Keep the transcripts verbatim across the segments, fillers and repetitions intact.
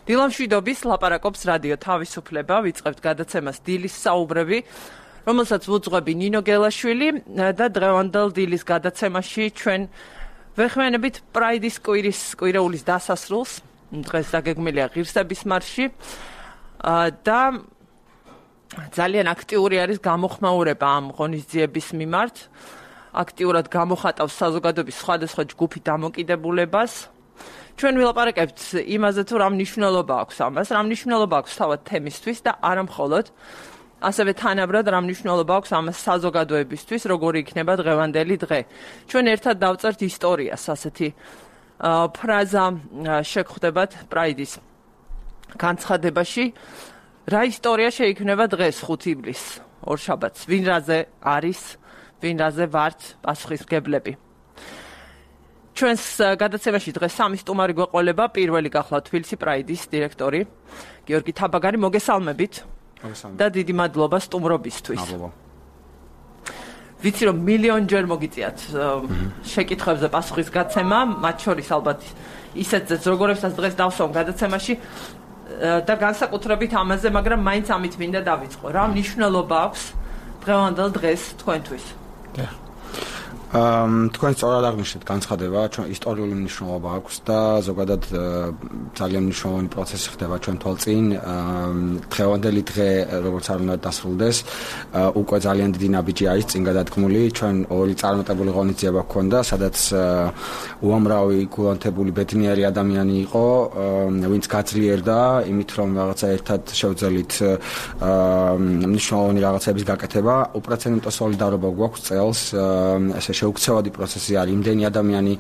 დილამშვიდობის ლაპარაკობს რადიო თავისუფლება, ვიწყებთ გადაცემას დილის საუბრები, რომელსაც ვუძღვები ნინო გელაშვილი და დღევანდელ დილის გადაცემაში ჩვენ ვეხმიანებით პრაიდის კვირის კვირეულის დასასრულს, დღეს დაგეგმილია ღირსების მარში და ძალიან აქტიური არის გამოხმაურება ამ ღონისძიების მიმართ. აქტიურად გამოხატავს საზოგადოების სხვადასხვა ჯგუფი დამოკიდებულებას. ჩვენ ვილაპარაკებთ იმაზე, თუ რა მნიშვნელობა აქვს ამას, რა მნიშვნელობა აქვს თავად თემისთვის და არა მხოლოდ, ასევე თანაბრად რა მნიშვნელობა აქვს ამას საზოგადოებისთვის, როგორი იქნება დღევანდელი დღე. ჩვენ ერთად დავწერთ ისტორიას, ასეთი ფრაზა შეგხვდებათ პრაიდის განცხადებაში. რა ისტორია შეიქმნება დღეს ხუთი ივლისს, ორშაბათს, ვინ რაზე არის, ვინ რაზე ვართ პასუხისმგებლები. ჩვენს გადაცემაში დღეს სამი სტუმარი გვეყოლება. პირველი გახლავთ თბილისი პრაიდის დირექტორი გიორგი თაბაგარი, მოგესალმებით და დიდი მადლობა სტუმრობისთვის. ვიცი რომ მილიონჯერ მოგიწიათ შეკითხვებზე პასუხის გაცემა, მათ შორის ალბათ ისეთზეც როგორებსაც დღეს დავსვამ გადაცემაში და განსაკუთრებით ამაზე, მაგრამ მაინც ამით მინდა დავიწყო. რა მნიშვნელობა აქვს დღევანდელ დღეს თქვენთვის? თქვენ სწორად აღნიშნეთ განცხადება, ჩვენ ისტორიული მნიშვნელობა აქვს და ზოგადად ძალიან მნიშვნელოვანი პროცესი ხდება ჩვენ თვალწინ. დღევანდელი დღე, როგორც არ უნდა დასრულდეს, უკვე ძალიან დიდი ნაბიჯი არის წინ გადადგმული. ჩვენ ორი წარმატებული ღონისძიება გვქონდა, სადაც უამრავი გულანთებული ბედნიერი ადამიანი იყო, ვინც გაძლიერდა იმით, რომ რაღაცა ერთად შევძელით მნიშვნელოვანი რაღაცების გაკეთება. უპრეცედენტო სოლიდარობა გვაქვს წელს, ესე შეუქცევადი პროცესი არის. იმდენი ადამიანი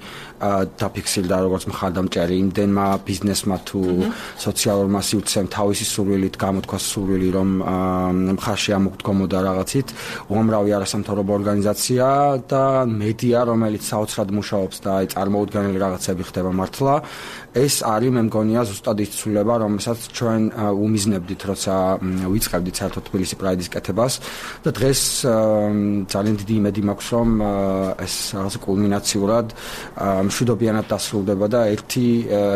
დაფიქსირდა როგორც მხარდამჭერი, იმდენმა ბიზნესმა თუ სოციალურმა სივრცემ თავისი სურვილით გამოთქვა სურვილი, რომ მხარში ამოგვდგომოდა რაღაცით. უამრავი არასამთავრობო ორგანიზაცია და მედია, რომელიც საოცრად მუშაობს და აი წარმოუდგენელი რაღაცები ხდება მართლა. ეს არის, მე მგონია, ზუსტად ის ცვლილება, რომელსაც ჩვენ უმიზნებდით, როცა ვიწყებდით საერთოდ თბილისი პრაიდის კეთებას და დღეს ძალიან დიდი იმედი მაქვს, რომ ეს რაღაც კულმინაციურად მშვიდობიანად დასრულდება და ერთი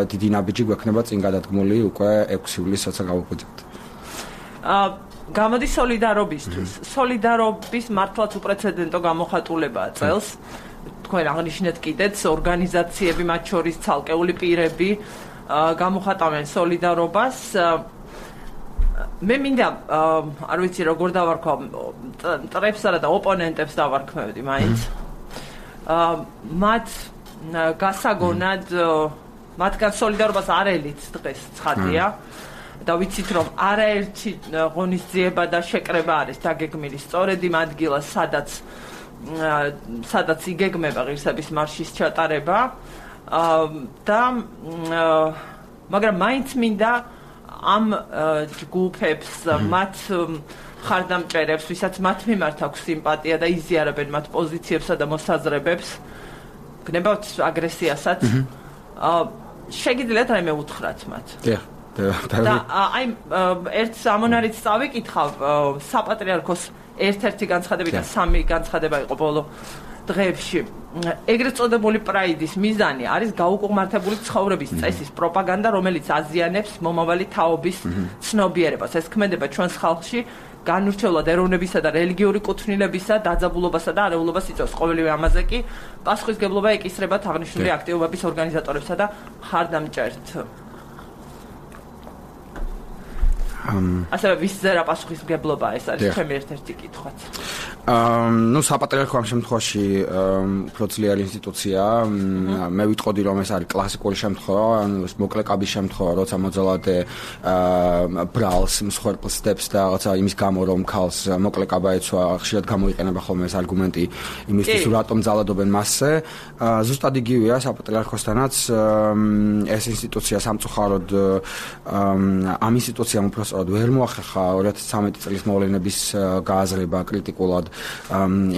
დიდი ნაბიჯი გვექნება წინ გადადგმული უკვე ექვსი ივლისს, როცა გავუკვირდებთ. გამოდის სოლიდარობისთვის. სოლიდარობის მართლაც უპრეცედენტო გამოხატულებაა წელს. თქვენ აღნიშნეთ კიდეც ორგანიზაციები, მათ შორის ცალკეული პირები გამოხატავენ სოლიდარობას. მე მინდა, არ ვიცი როგორ დავარქვა, მტრებსა და ოპონენტებს დავარქმევდი მაინც. მათ გასაგონად, მათგან სოლიდარობას არ ელით დღეს ცხადია და ვიცით, რომ არაერთი ღონისძიება და შეკრება არის დაგეგმილი სწორედ იმ ადგილას, სადაც სადაც იგეგმება ღირსების მარშის ჩატარება და მაგრამ მაინც მინდა ამ ჯგუფებს, მათ მხარდამჭერებს, ვისაც მათ მიმართ აქვს სიმპათია და იზიარებენ მათ პოზიციებსა და მოსაზრებებს, გნებავთ აგრესიასაც, შეგიძლიათ რაიმე უთხრათ მათ? და აი ერთ ამონარიც წავიკითხავ, საპატრიარქოს ერთ-ერთი განცხადები და სამი განცხადება იყო ბოლო დღეებში. ეგრეთ წოდებული პრაიდის მიზანი არის გაუკუღმართებული ცხოვრების წესის პროპაგანდა, რომელიც აზიანებს მომავალი თაობის ცნობიერებას. ეს ქმედება ჩვენს ხალხში განურჩევლად ეროვნებისა და რელიგიური კუთვნილებისა, დაძაბულობასა და არეულობას იწვევს. ყოველივე ამაზე კი პასუხისმგებლობა ეკისრებათ აღნიშნული აქტივობების ორგანიზატორებსა და მხარდამჭერთ. ასევე ვისზე რა პასუხისმგებლობა ეს არის ჩემი ერთ-ერთი კითხვაც. ნუ საპატრიარქო ამ შემთხვევაში უფრო ძლიერი ინსტიტუცია. მე ვიტყოდი, რომ ეს არის კლასიკური შემთხვევა, მოკლეკაბის შემთხვევა, როცა მოძალადე ბრალს, მსხვერპლს დებს და რაღაცა იმის გამო, რომ ქალს მოკლეკაბა ეცვა, ხშირად გამოიყენება ხოლმე ეს არგუმენტი იმისთვის, რატომ ძალადობენ მასზე. ზუსტად იგივეა საპატრიარქოსთანაც ეს ინსტიტუცია სამწუხაროდ ამ ინსტიტუციამ უფრო სწორად ვერ მოახერხა ორი ათას ცხრამეტი წლის მოვლენების გააზრება კრიტიკულად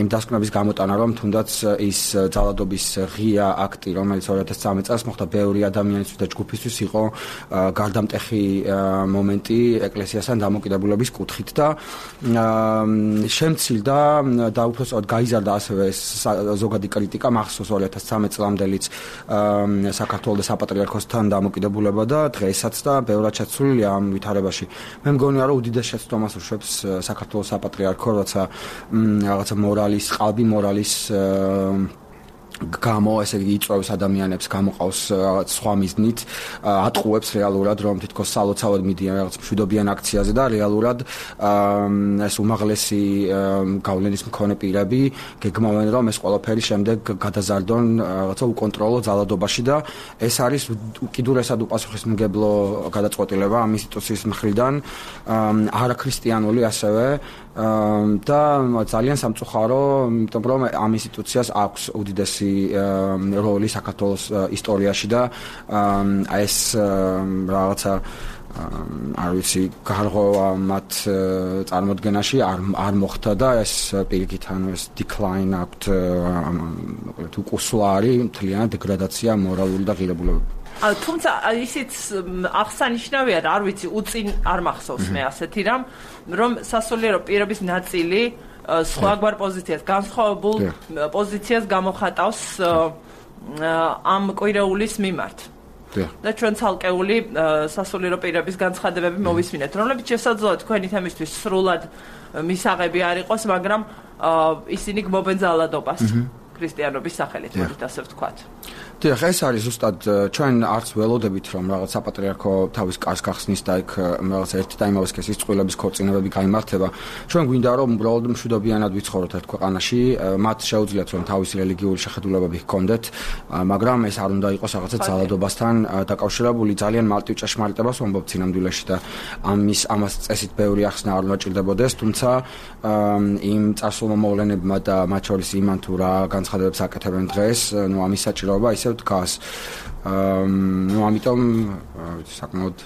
იმ დასკვნების გამოტანა, რომ თუნდაც ის ძალადობის ღია აქტი, რომელიც ორი ათას სამი წელს მოხდა ბევრი ადამიანისთვის და ჯგუფისთვის იყო გარდამტეხი მომენტი ეკლესიასთან დამოკიდებულების კუთხით და შემცილდა და უпроსოდ გაიზარდა ასევე ზოგადი კრიტიკა მახსოვს ორი ათას ცხრამეტ წლამდელიც საქართველოს და საპატრიარქოსთან დამოკიდებულება და დღესაც და ბევრად შეცვლილია ამ ვითარებაში. მე მგონია რომ უდიდეს შეცდომას უშვებს საქართველოს საპატრიარქო, როცა რაღაცა მორალის, ყალბი მორალის გამო ესე იგი იწვევს ადამიანებს, გამოყავს რაღაც სხვა მიზნით, ატყუებს რეალურად რომ თითქოს სალოცავად მიდიან რაღაც მშვიდობიან აქციაზე და რეალურად ეს უმაღლესი გავლენის მქონე პირები გეგმავენ რომ ეს ყველაფერი შემდეგ გადაზარდონ რაღაცა უკონტროლო ძალადობაში და ეს არის უკიდურესად უპასუხისმგებლო გადაწყვეტილება ამ ინსტიტუციის მხრიდან, არაქრისტიანული ასევე და ძალიან სამწუხარო, იმიტომ რომ ამ ინსტიტუციას აქვს უდიდესი როლი საქართველოს ისტორიაში და ეს რაღაცა არ ვიცი გარღვევა მათ წარმოდგენაში არ არ მოხდა და ეს პირიქით ანუ ეს decline აქვთ მოკლედ უკუსლა არის მთლიანად დეგრადაცია მორალური და ღირებულებები. თუმცა ისიც აღსანიშნავია და არ ვიცი უწინ არ მახსოვს მე ასეთი რამ რომ სასულიერო პირების ნაწილი სხვაგვარ პოზიციას, განსხვავებულ პოზიციას გამოხატავს ამ კვირეულის მიმართ. და ჩვენ ცალკეული სასულიერო პირების განცხადებები მოვისმინეთ, რომლებიც შესაძლოა თქვენი თემისთვის სრულად მისაღები არ იყოს, მაგრამ ისინი გმობენ ძალადობას ქრისტიანობის სახელით, მოდით ასე ვთქვათ. დიახ, ეს არის ზუსტად ჩვენ არც ველოდებით რომ რაღაც საპატრიარქო თავის კარს გახსნის და იქ რაღაც ერთი და იმავე სქესის წყვილების ქორწინებები გაიმართება. ჩვენ გვინდა რომ უბრალოდ მშვიდობიანად ვიცხოვროთ ერთ ქვეყანაში, მათ შეუძლიათ რომ თავისი რელიგიური შეხედულებები ჰქონდეთ, მაგრამ ეს არ უნდა იყოს რაღაცა ძალადობასთან დაკავშირებული. ძალიან მარტივ ჭეშმარიტებას ვამბობ სინამდვილეში და ამის ამას წესით ბევრი ახსნა არ უნდა ჭირდებოდეს, თუმცა იმ წარსულმა მოვლენებმა და მათ შორის იმან თუ რა განცხადებებს აკეთებენ დღეს, ნუ ამის საჭიროება ისე დგას. ნუ ამიტომ საკმაოდ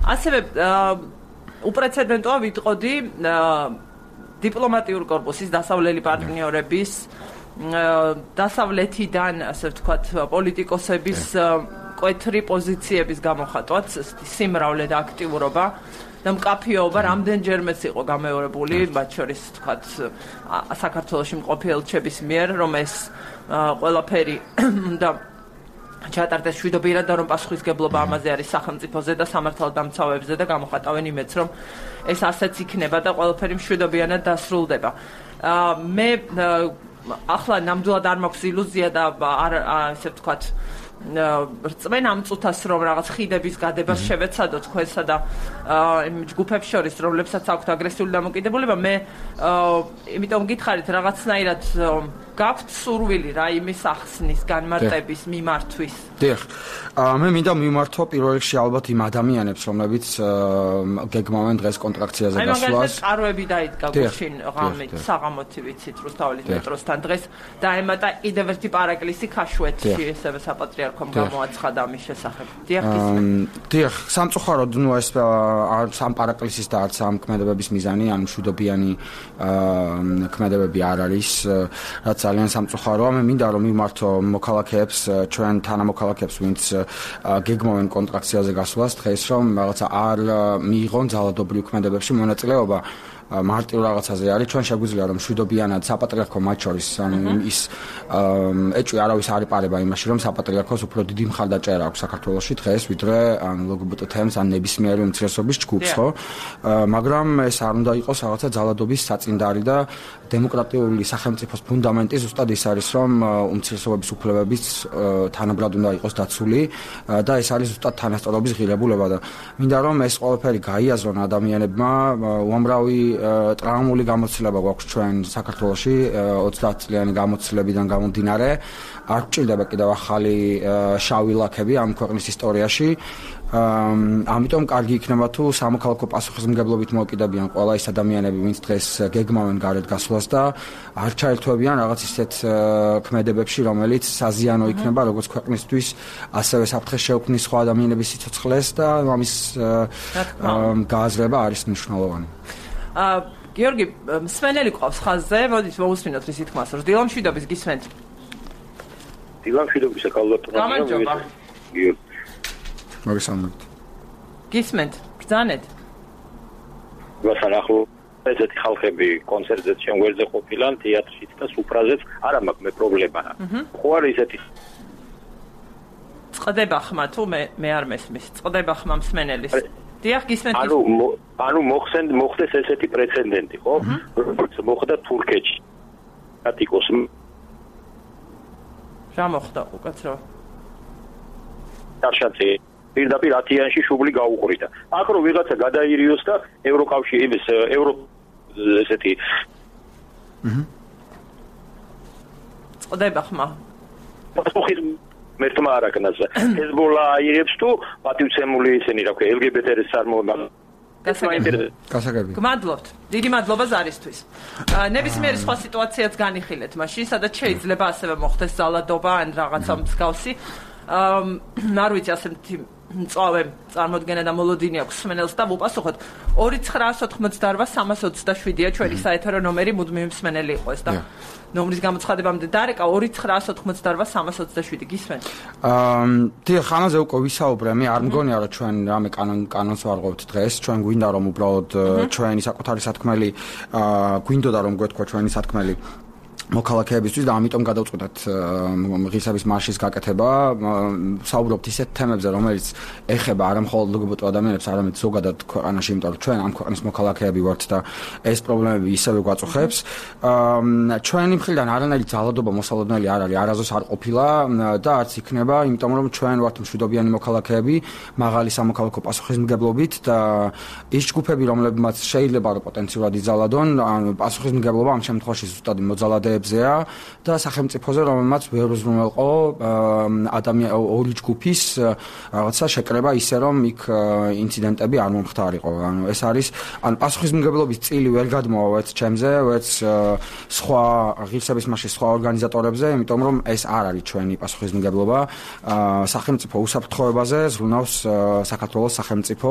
ასევე უპრეცედენტოა ვიტყოდი დიპლომატიური კორპუსის დასავლელი პარტნიორების დასავლეთიდან ასე ვთქვათ პოლიტიკოსების კვეთრი პოზიციების გამოხატვაც სიმრავლე და აქტიურობა და მკაფიობა რამდენჯერმეც იყო გამეორებული, მათ შორის ვთქვათ საქართველოში მყოფი ელჩების მიერ, რომ ეს ყველაფერი და ჩატარდეს მშვიდობიანად და რომ პასუხისგებლობა ამაზე არის სახელმწიფოზე და სამართალდამცავებზე და გამოხატავენ იმედს, რომ ეს ასეც იქნება და ყველაფერი მშვიდობიანად დასრულდება. მე ახლა ნამდვილად არ მაქვს ილუზია და არ ასე ვთქვათ რწმენ ამ წუთას რომ რაღაც ხიდების გადებას შევეცადოთ თქვენსა და იმ ჯგუფებს შორის, რომლებსაც აქვთ აგრესიული დამოკიდებულება, მე იმიტომ გითხარით რაღაცნაირად გაქვთ სურვილი რა იმის ახსნის, განმარტების, მიმართვის. დიახ. მე მინდა მიმართო პირველ რიგში ალბათ იმ ადამიანებს, რომლებიც გეგმავენ დღეს კონტრაქციაზე გასვლას. აი მაგალითად წარვები დაიდგა გუშინ ღამით, საღამოთი ვიცით რუსთაველის მეტროსთან დღეს დაემატა კიდევ ერთი პარაკლისი ქაშვეთში, ესევე საპატრიარქომ გამოაცხადა ამის შესახებ. დიახ, დიახ, სამწუხაროდ ნუ ეს არც ამ პარაკლისის და არც ამ ქმედებების მიზანი, ანუ მშვიდობიანი ქმედებები არ არის, რაც ძალიან სამწუხაროა. მე მინდა რომ მიმართო მოქალაქეებს, ჩვენ თანამოქალაქეებს, ვინც გეგმავენ კონტრაქციაზე გასვლას, დღეს რომ რაღაცა არ მიიღონ ძალადობრივ ქმედებებში მონაწილეობა. მარტივ რაღაცაზე არის, ჩვენ შეგვიძლია რომ მშვიდობიანად საპატრიარქო მათ შორის ის ეჭვი არავის არ იპარება იმაში, რომ საპატრიარქოს უფრო დიდი მხარდაჭერა აქვს საქართველოში დღეს, ვიდრე ან ლგბტ თემს ან ნებისმიერი უმცირესობის ჯგუფს, ხო? მაგრამ ეს არ უნდა იყოს რაღაცა ძალადობის საწინდარი და დემოკრატიული სახელმწიფოს ფუნდამენტი ზუსტად ის არის, რომ უმცირესობების უფლებებიც თანაბრად უნდა იყოს დაცული და ეს არის ზუსტად თანასწორობის ღირებულება და მინდა რომ ეს ყველაფერი გაიაზრონ ადამიანებმა, უამრავი ტრაუმული გამოცდილება გვაქვს ჩვენ საქართველოში ოცდაათ წლიანი გამოცდილებიდან გამომდინარე, არ გვჭირდება კიდევ ახალი შავი ლაქები ამ ქვეყნის ისტორიაში. ამიტომ კარგი იქნება თუ სამოქალაქო პასუხისმგებლობით მოკიდებიან ყველა ის ადამიანები, ვინც დღეს გეგმავენ გარეთ გასვლას და არ ჩაერთვებიან რაღაც ისეთ ქმედებებში, რომელიც საზიანო იქნება როგორც ქვეყნისთვის, ასევე საფრთხეს შეუქმნის სხვა ადამიანების სიცოცხლეს და ამის გააზრება არის მნიშვნელოვანი. გიორგი, მსმენელი ყავს ხაზზე, მოდით მოусმინოთ რის თქმას, რომ დილა მშვიდობის გისმენთ. დილა მშვიდობისა კალბატონია. გამარჯობა. გიორგი. მოგესალმებით. გისმენთ, ბრძანეთ. ვასან ახლო ესეთი ხალხები კონცერტზე ჩვენ გვერდზე ყოფილან, თეატრშიც და სუფრაზეც, არა მაქვს მე პრობლემა. ხო არის ესეთი წდება ხმა თუ მე მე არ მესმის. წდება ხმა მსმენელის. დიახ, გისმენთ. ანუ ანუ მოხსენ მოხდეს ესეთი პრეცედენტი, ხო? როგორც მოხდა თურქეთში. ატიკოს რა მოხდა უკაცრავ? დაშაცე პირდაპირ ათიანში შუბლი გაუყრიდა. აქ რო ვიღაცა გადაირიოს და ევროკავშირის ევრო ესეთი აჰა. წდება ხმა. პასუხი მერტმა არაკნას. ჰეზბოლა აირებს თუ პატივცემული ისინი, რა ქვია, ელ გი ბი ტი-ს წარმოება. გასაგები. გმადლობთ. დიდი მადლობა ზარისთვის. ნებისმიერი სხვა სიტუაციაც განიხილეთ მაშინ, სადაც შეიძლება ასევე მოხდეს ზალადობა ან რაღაცა მსგავსი. არ ვიცი ასე მწვავე წარმოდგენა და მოლოდინი აქვს მსმენელს და ვუპასუხოთ ორი ცხრაას ოთხმოცდაოთხ სამას ოცდაშვიდია ჩვენი საეთერო ნომერი მუდმივი მსმენელი იყო ეს და ნომრის გამოცხადებამდე დარეკა ორი ცხრაას ოთხმოცდაოთხ სამას ოცდაშვიდი გისმენთ? აა დიახ, ამაზე უკვე ვისაუბრე, მე არ მგონია რომ ჩვენ რამე კანონ კანონს ვარღვევთ დღეს, ჩვენ გვინდა რომ უბრალოდ ჩვენი საკუთარი სათქმელი აა გვინდოდა რომ გვეთქვა ჩვენი სათქმელი მოქალაქეებისთვის და ამიტომ გადავწყვეტეთ ღირსების მარშის გაკეთება. საუბრობთ ისეთ თემებზე, რომელიც ეხება არა მხოლოდ ლგბტ ადამიანებს, არამედ ზოგადად ქვეყანაში, იმიტომ რომ ჩვენ ამ ქვეყნის მოქალაქეები ვართ და ეს პრობლემები ისევე გვაწუხებს. ჩვენი მხრიდან არანაირი ძალადობა მოსალოდნელი არ არის, არასდროს არ ყოფილა და არც იქნება, იმიტომ რომ ჩვენ ვართ მშვიდობიანი მოქალაქეები, მაღალი სამოქალაქო პასუხისმგებლობით და ის ჯგუფები, რომლებმაც შეიძლება რომ პოტენციურად იძალადონ, პასუხისმგებლობა ამ შემთხვევაში ზუსტად მოძალადე და სახელმწიფოზე რომელმაც ვერ უზრუნველყო ადამიან ორი ჯგუფის რაღაცა შეკრება ისე რომ იქ ინციდენტები არ მომხდარიყო. ანუ ეს არის ან პასუხისმგებლობის წილი ვერ გადმოვა ვერც ჩემზე, ვერც სხვა ღირსების მარშის სხვა ორგანიზატორებზე, იმიტომ რომ ეს არ არის ჩვენი პასუხისმგებლობა. სახელმწიფო უსაფრთხოებაზე ზრუნავს საქართველოს სახელმწიფო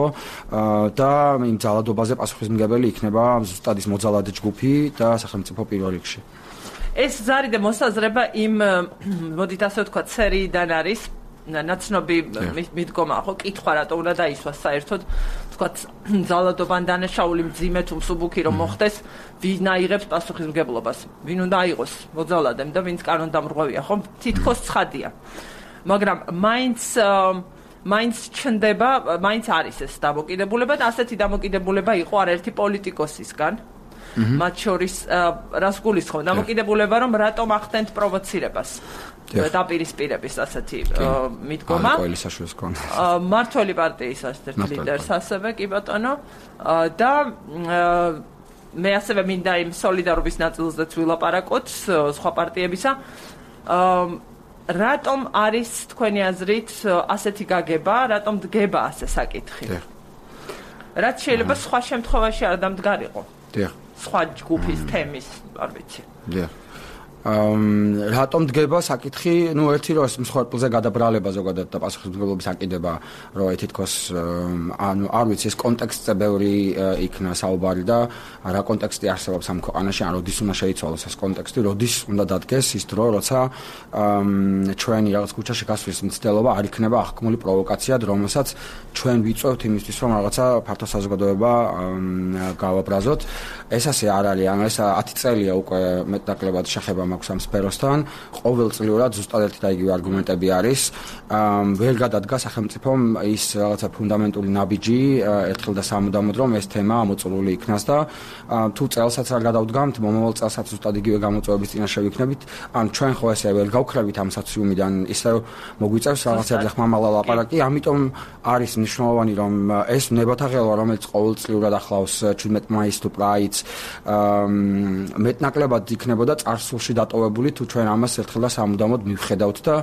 და იმ ძალადობაზე პასუხისმგებელი იქნება ზუსტად ის მოძალადე ჯგუფი და სახელმწიფო პირველ რიგში. ეს ზარი და მოსაზრება იმ მოდით ასე ვთქვათ სერიიდან არის ნაცნობი მიდგომა ხო კითხვა რატო უნდა დაისვას საერთოდ ვთქვათ ძალადობან დანაშაული მძიმე თუ მსუბუქი რომ მოხდეს ვინ აიღებს პასუხისმგებლობას ვინ უნდა აიღოს მოძალადემ და ვინც კანონდამრღვევია ხო თითქოს ცხადია მაგრამ მაინც მაინც ჩნდება მაინც არის ეს დამოკიდებულება და ასეთი დამოკიდებულება იყო არაერთი პოლიტიკოსისგან მათ შორის რას გულისხმობ დამოკიდებულება რომ რატომ ახდენთ პროვოცირებას დაპირისპირების ასეთი მიდგომა მართველი პარტიის ერთ ლიდერს ასევე კი ბატონო და მე ასევე მინდა იმ სოლიდარობის ნაწილზეც ვილაპარაკოთ სხვა პარტიებისა რატომ არის თქვენი აზრით ასეთი გაგება რატომ დგება ასე საკითხი რაც შეიძლება სხვა შემთხვევაში არ დამდგარიყო დიახ სხვა ჯგუფის თემის, არ ვიცი. დიახ. აა რატომ დგება საკითხი, ну ერთი რომ მსხვერპლზე გადაბრალება ზოგადად და პასუხისმგებლობის აკიდება, რომ თითქოს ანუ არ ვიცი ეს კონტექსტზე ბევრი იქნა საუბარი და რა კონტექსტი არსებობს ამ ქვეყანაში, ან როდის უნდა შეიცვალოს ეს კონტექსტი, როდის უნდა დადგეს ის დრო, როცა ჩვენი რაღაც ქუჩაში გასვლის მცდელობა არ იქნება აღქმული პროვოკაციად, რომელსაც ჩვენ ვიწევთ იმისთვის, რომ რაღაცა ფართო საზოგადოება გავაბრაზოთ. ეს ასე არ არის, ანუ ეს ათი წელია უკვე მეტნაკლებად შეხება მაქვს ამ სფეროსთან, ყოველწლიურად ზუსტად ერთი და იგივე არგუმენტები არის. ვერ გადადგა სახელმწიფომ ის რაღაცა ფუნდამენტური ნაბიჯი ერთხელ და სამუდამოდ, რომ ეს თემა ამოწურული იქნას და თუ წელსაც არ გადავდგამთ, მომავალ წელსაც ზუსტად იგივე გამოწვევების წინაშე ვიქნებით. ან ჩვენ ხო ესე ვერ გავქრებით ამ სოციუმიდან, ისევ მოგვიწევს რაღაცებზე ხმამაღლა ლაპარაკი, ამიტომ არის მნიშვნელოვანი, რომ ეს ნებათა ღელვა, რომელიც ყოველწლიურად ახლავს შვიდმეტ მაისს თუ პრაიდს, მეტნაკლებად იქნებოდა წარსულში დატოვებული თუ ჩვენ ამას ერთხელ და სამუდამოდ მივხედავთ და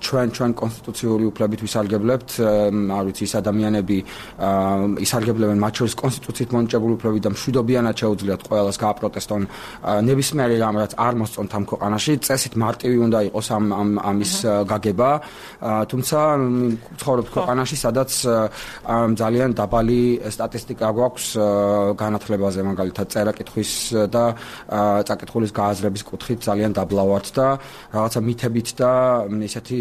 ჩვენ ჩვენ კონსტიტუციური უფლებით ვისარგებლებთ, არ ვიცი, ის ადამიანები ისარგებლებენ მათ შორის კონსტიტუციით მონიჭებული უფლებით და მშვიდობიანად შეუძლიათ ყველას გააპროტესტონ ნებისმიერი რამ, რაც არ მოსწონთ ამ ქვეყანაში, წესით მარტივი უნდა იყოს ამ ამის გაგება, თუმცა ცხოვრობთ ქვეყანაში, სადაც ძალიან დაბალი სტატისტიკა გვაქვს განათლებაზე, მაგალითად წერა არაკითხვის და წაკითხulis გააზრების კუთხით ძალიან დაბლა ვართ და რაღაცა მითებით და ესეთი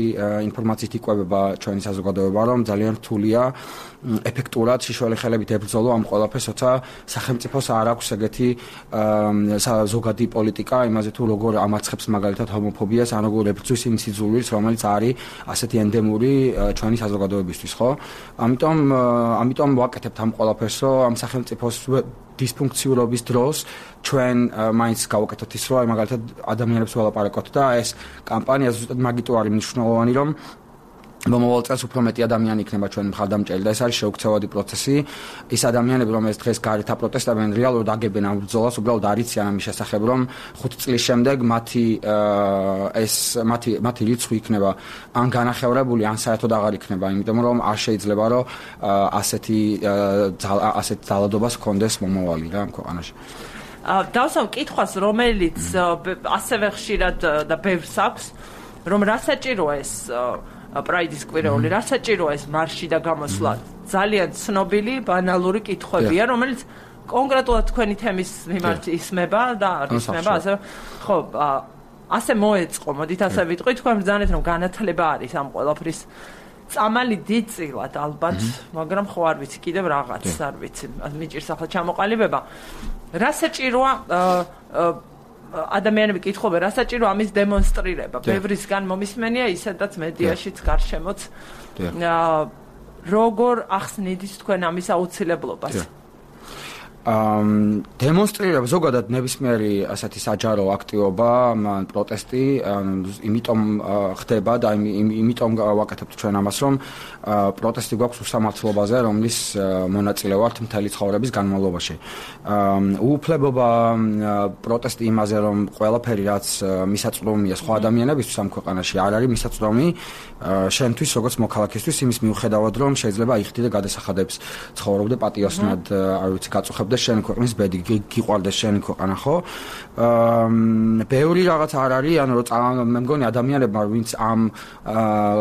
ინფორმაციით იკვებება ჩვენი საზოგადოება, რომ ძალიან რთულია ეფექტურად შიშველი ხელებით ებრძოლო ამ ყველაფერს, როცა სახელმწიფოს არ აქვს ეგეთი ზოგადი პოლიტიკა იმაზე თუ როგორ ამარცხებს მაგალითად ჰომოფობიას, ან როგორ ებრძვის იმ სიძულვილს, რომელიც არის ასეთი ენდემური ჩვენი საზოგადოებისთვის, ხო? ამიტომ ამიტომ ვაკეთებთ ამ ყველაფერს, რომ ამ სახელმწიფოს დისფუნქციურობის დროს ჩვენ მაინც გავაკეთოთ ის, რომ მაგალითად ადამიანებს ველაპარაკოთ და ეს კამპანია ზუსტად მაგიტო არის მნიშვნელოვანი, რომ მომავალ წელს უფრო მეტი ადამიანი იქნება ჩვენ მხარდამჭერი და ეს არის შეუქცევადი პროცესი. ის ადამიანები, რომელიც დღეს გარეთ აპროტესტებენ, რეალურად აგებენ ამ ბრძოლას, უბრალოდ არიციან ამის შესახებ, რომ ხუთი წლის შემდეგ მათი ეს მათი მათი რიცხვი იქნება ან განახევრებული, ან საერთოდ აღარ იქნება, იმიტომ რომ არ შეიძლება რომ ასეთი ასეთ ძალადობას ჰქონდეს მომავალი რა ამ ქვეყანაში. დავსვამ კითხვას, რომელიც ასევე ხშირად და ბევრს აქვს, რომ რა საჭიროა ეს პრაიდის კვირეული, რა საჭიროა ეს მარში და გამოსვლა? ძალიან ცნობილი, ბანალური კითხვებია, რომელიც კონკრეტულად თქვენი თემის მიმართ ისმება და არ ისმება, ასე ხო, ასე მოეწყო, მოდით ასე ვიტყვი, თქვენ ბრძანეთ, რომ განათლება არის ამ ყველაფრის წამალი დიდწილად ალბათ, მაგრამ ხო არ ვიცი, კიდევ რაღაც არ ვიცი, მიჭირს ახლა ჩამოყალიბება. რა საჭიროა ადამიანები კითხობენ, რა საჭირო ამის დემონსტრირება. ბევრისგან მომისმენია ისედაც მედიაშიც გარშემოც. როგორ ახსნით თქვენ ამის აუცილებლობას? ამ დემონსტრირება ზოგადად ნებისმიერი ასეთი საჯარო აქტივობა, პროტესტი, იმიტომ ხდება და იმიტომ ვაკეთებთ ჩვენ ამას, რომ პროტესტი გვაქვს უსამართლობაზე, რომლის მონაწილე ვართ მთელი ცხოვრების განმავლობაში. უუფლებობა პროტესტი იმაზე, რომ ყველაფერი რაც მისაწვდომია სხვა ადამიანებისთვის ამ ქვეყანაში არ არის მისაწვდომი შენთვის, როგორც მოქალაქისთვის, იმის მიუხედავად, რომ შეიძლება იხდი და გადასახადებს ცხოვრობდე პატიოსნად, არ ვიცი, გაწუხებდე შენ ქვეყნის ბედი, გიყვარდეს შენი ქვეყანა, ხო? აა ბევრი რაღაც არ არის, ანუ რომ მე მგონი ადამიანებმა ვინც ამ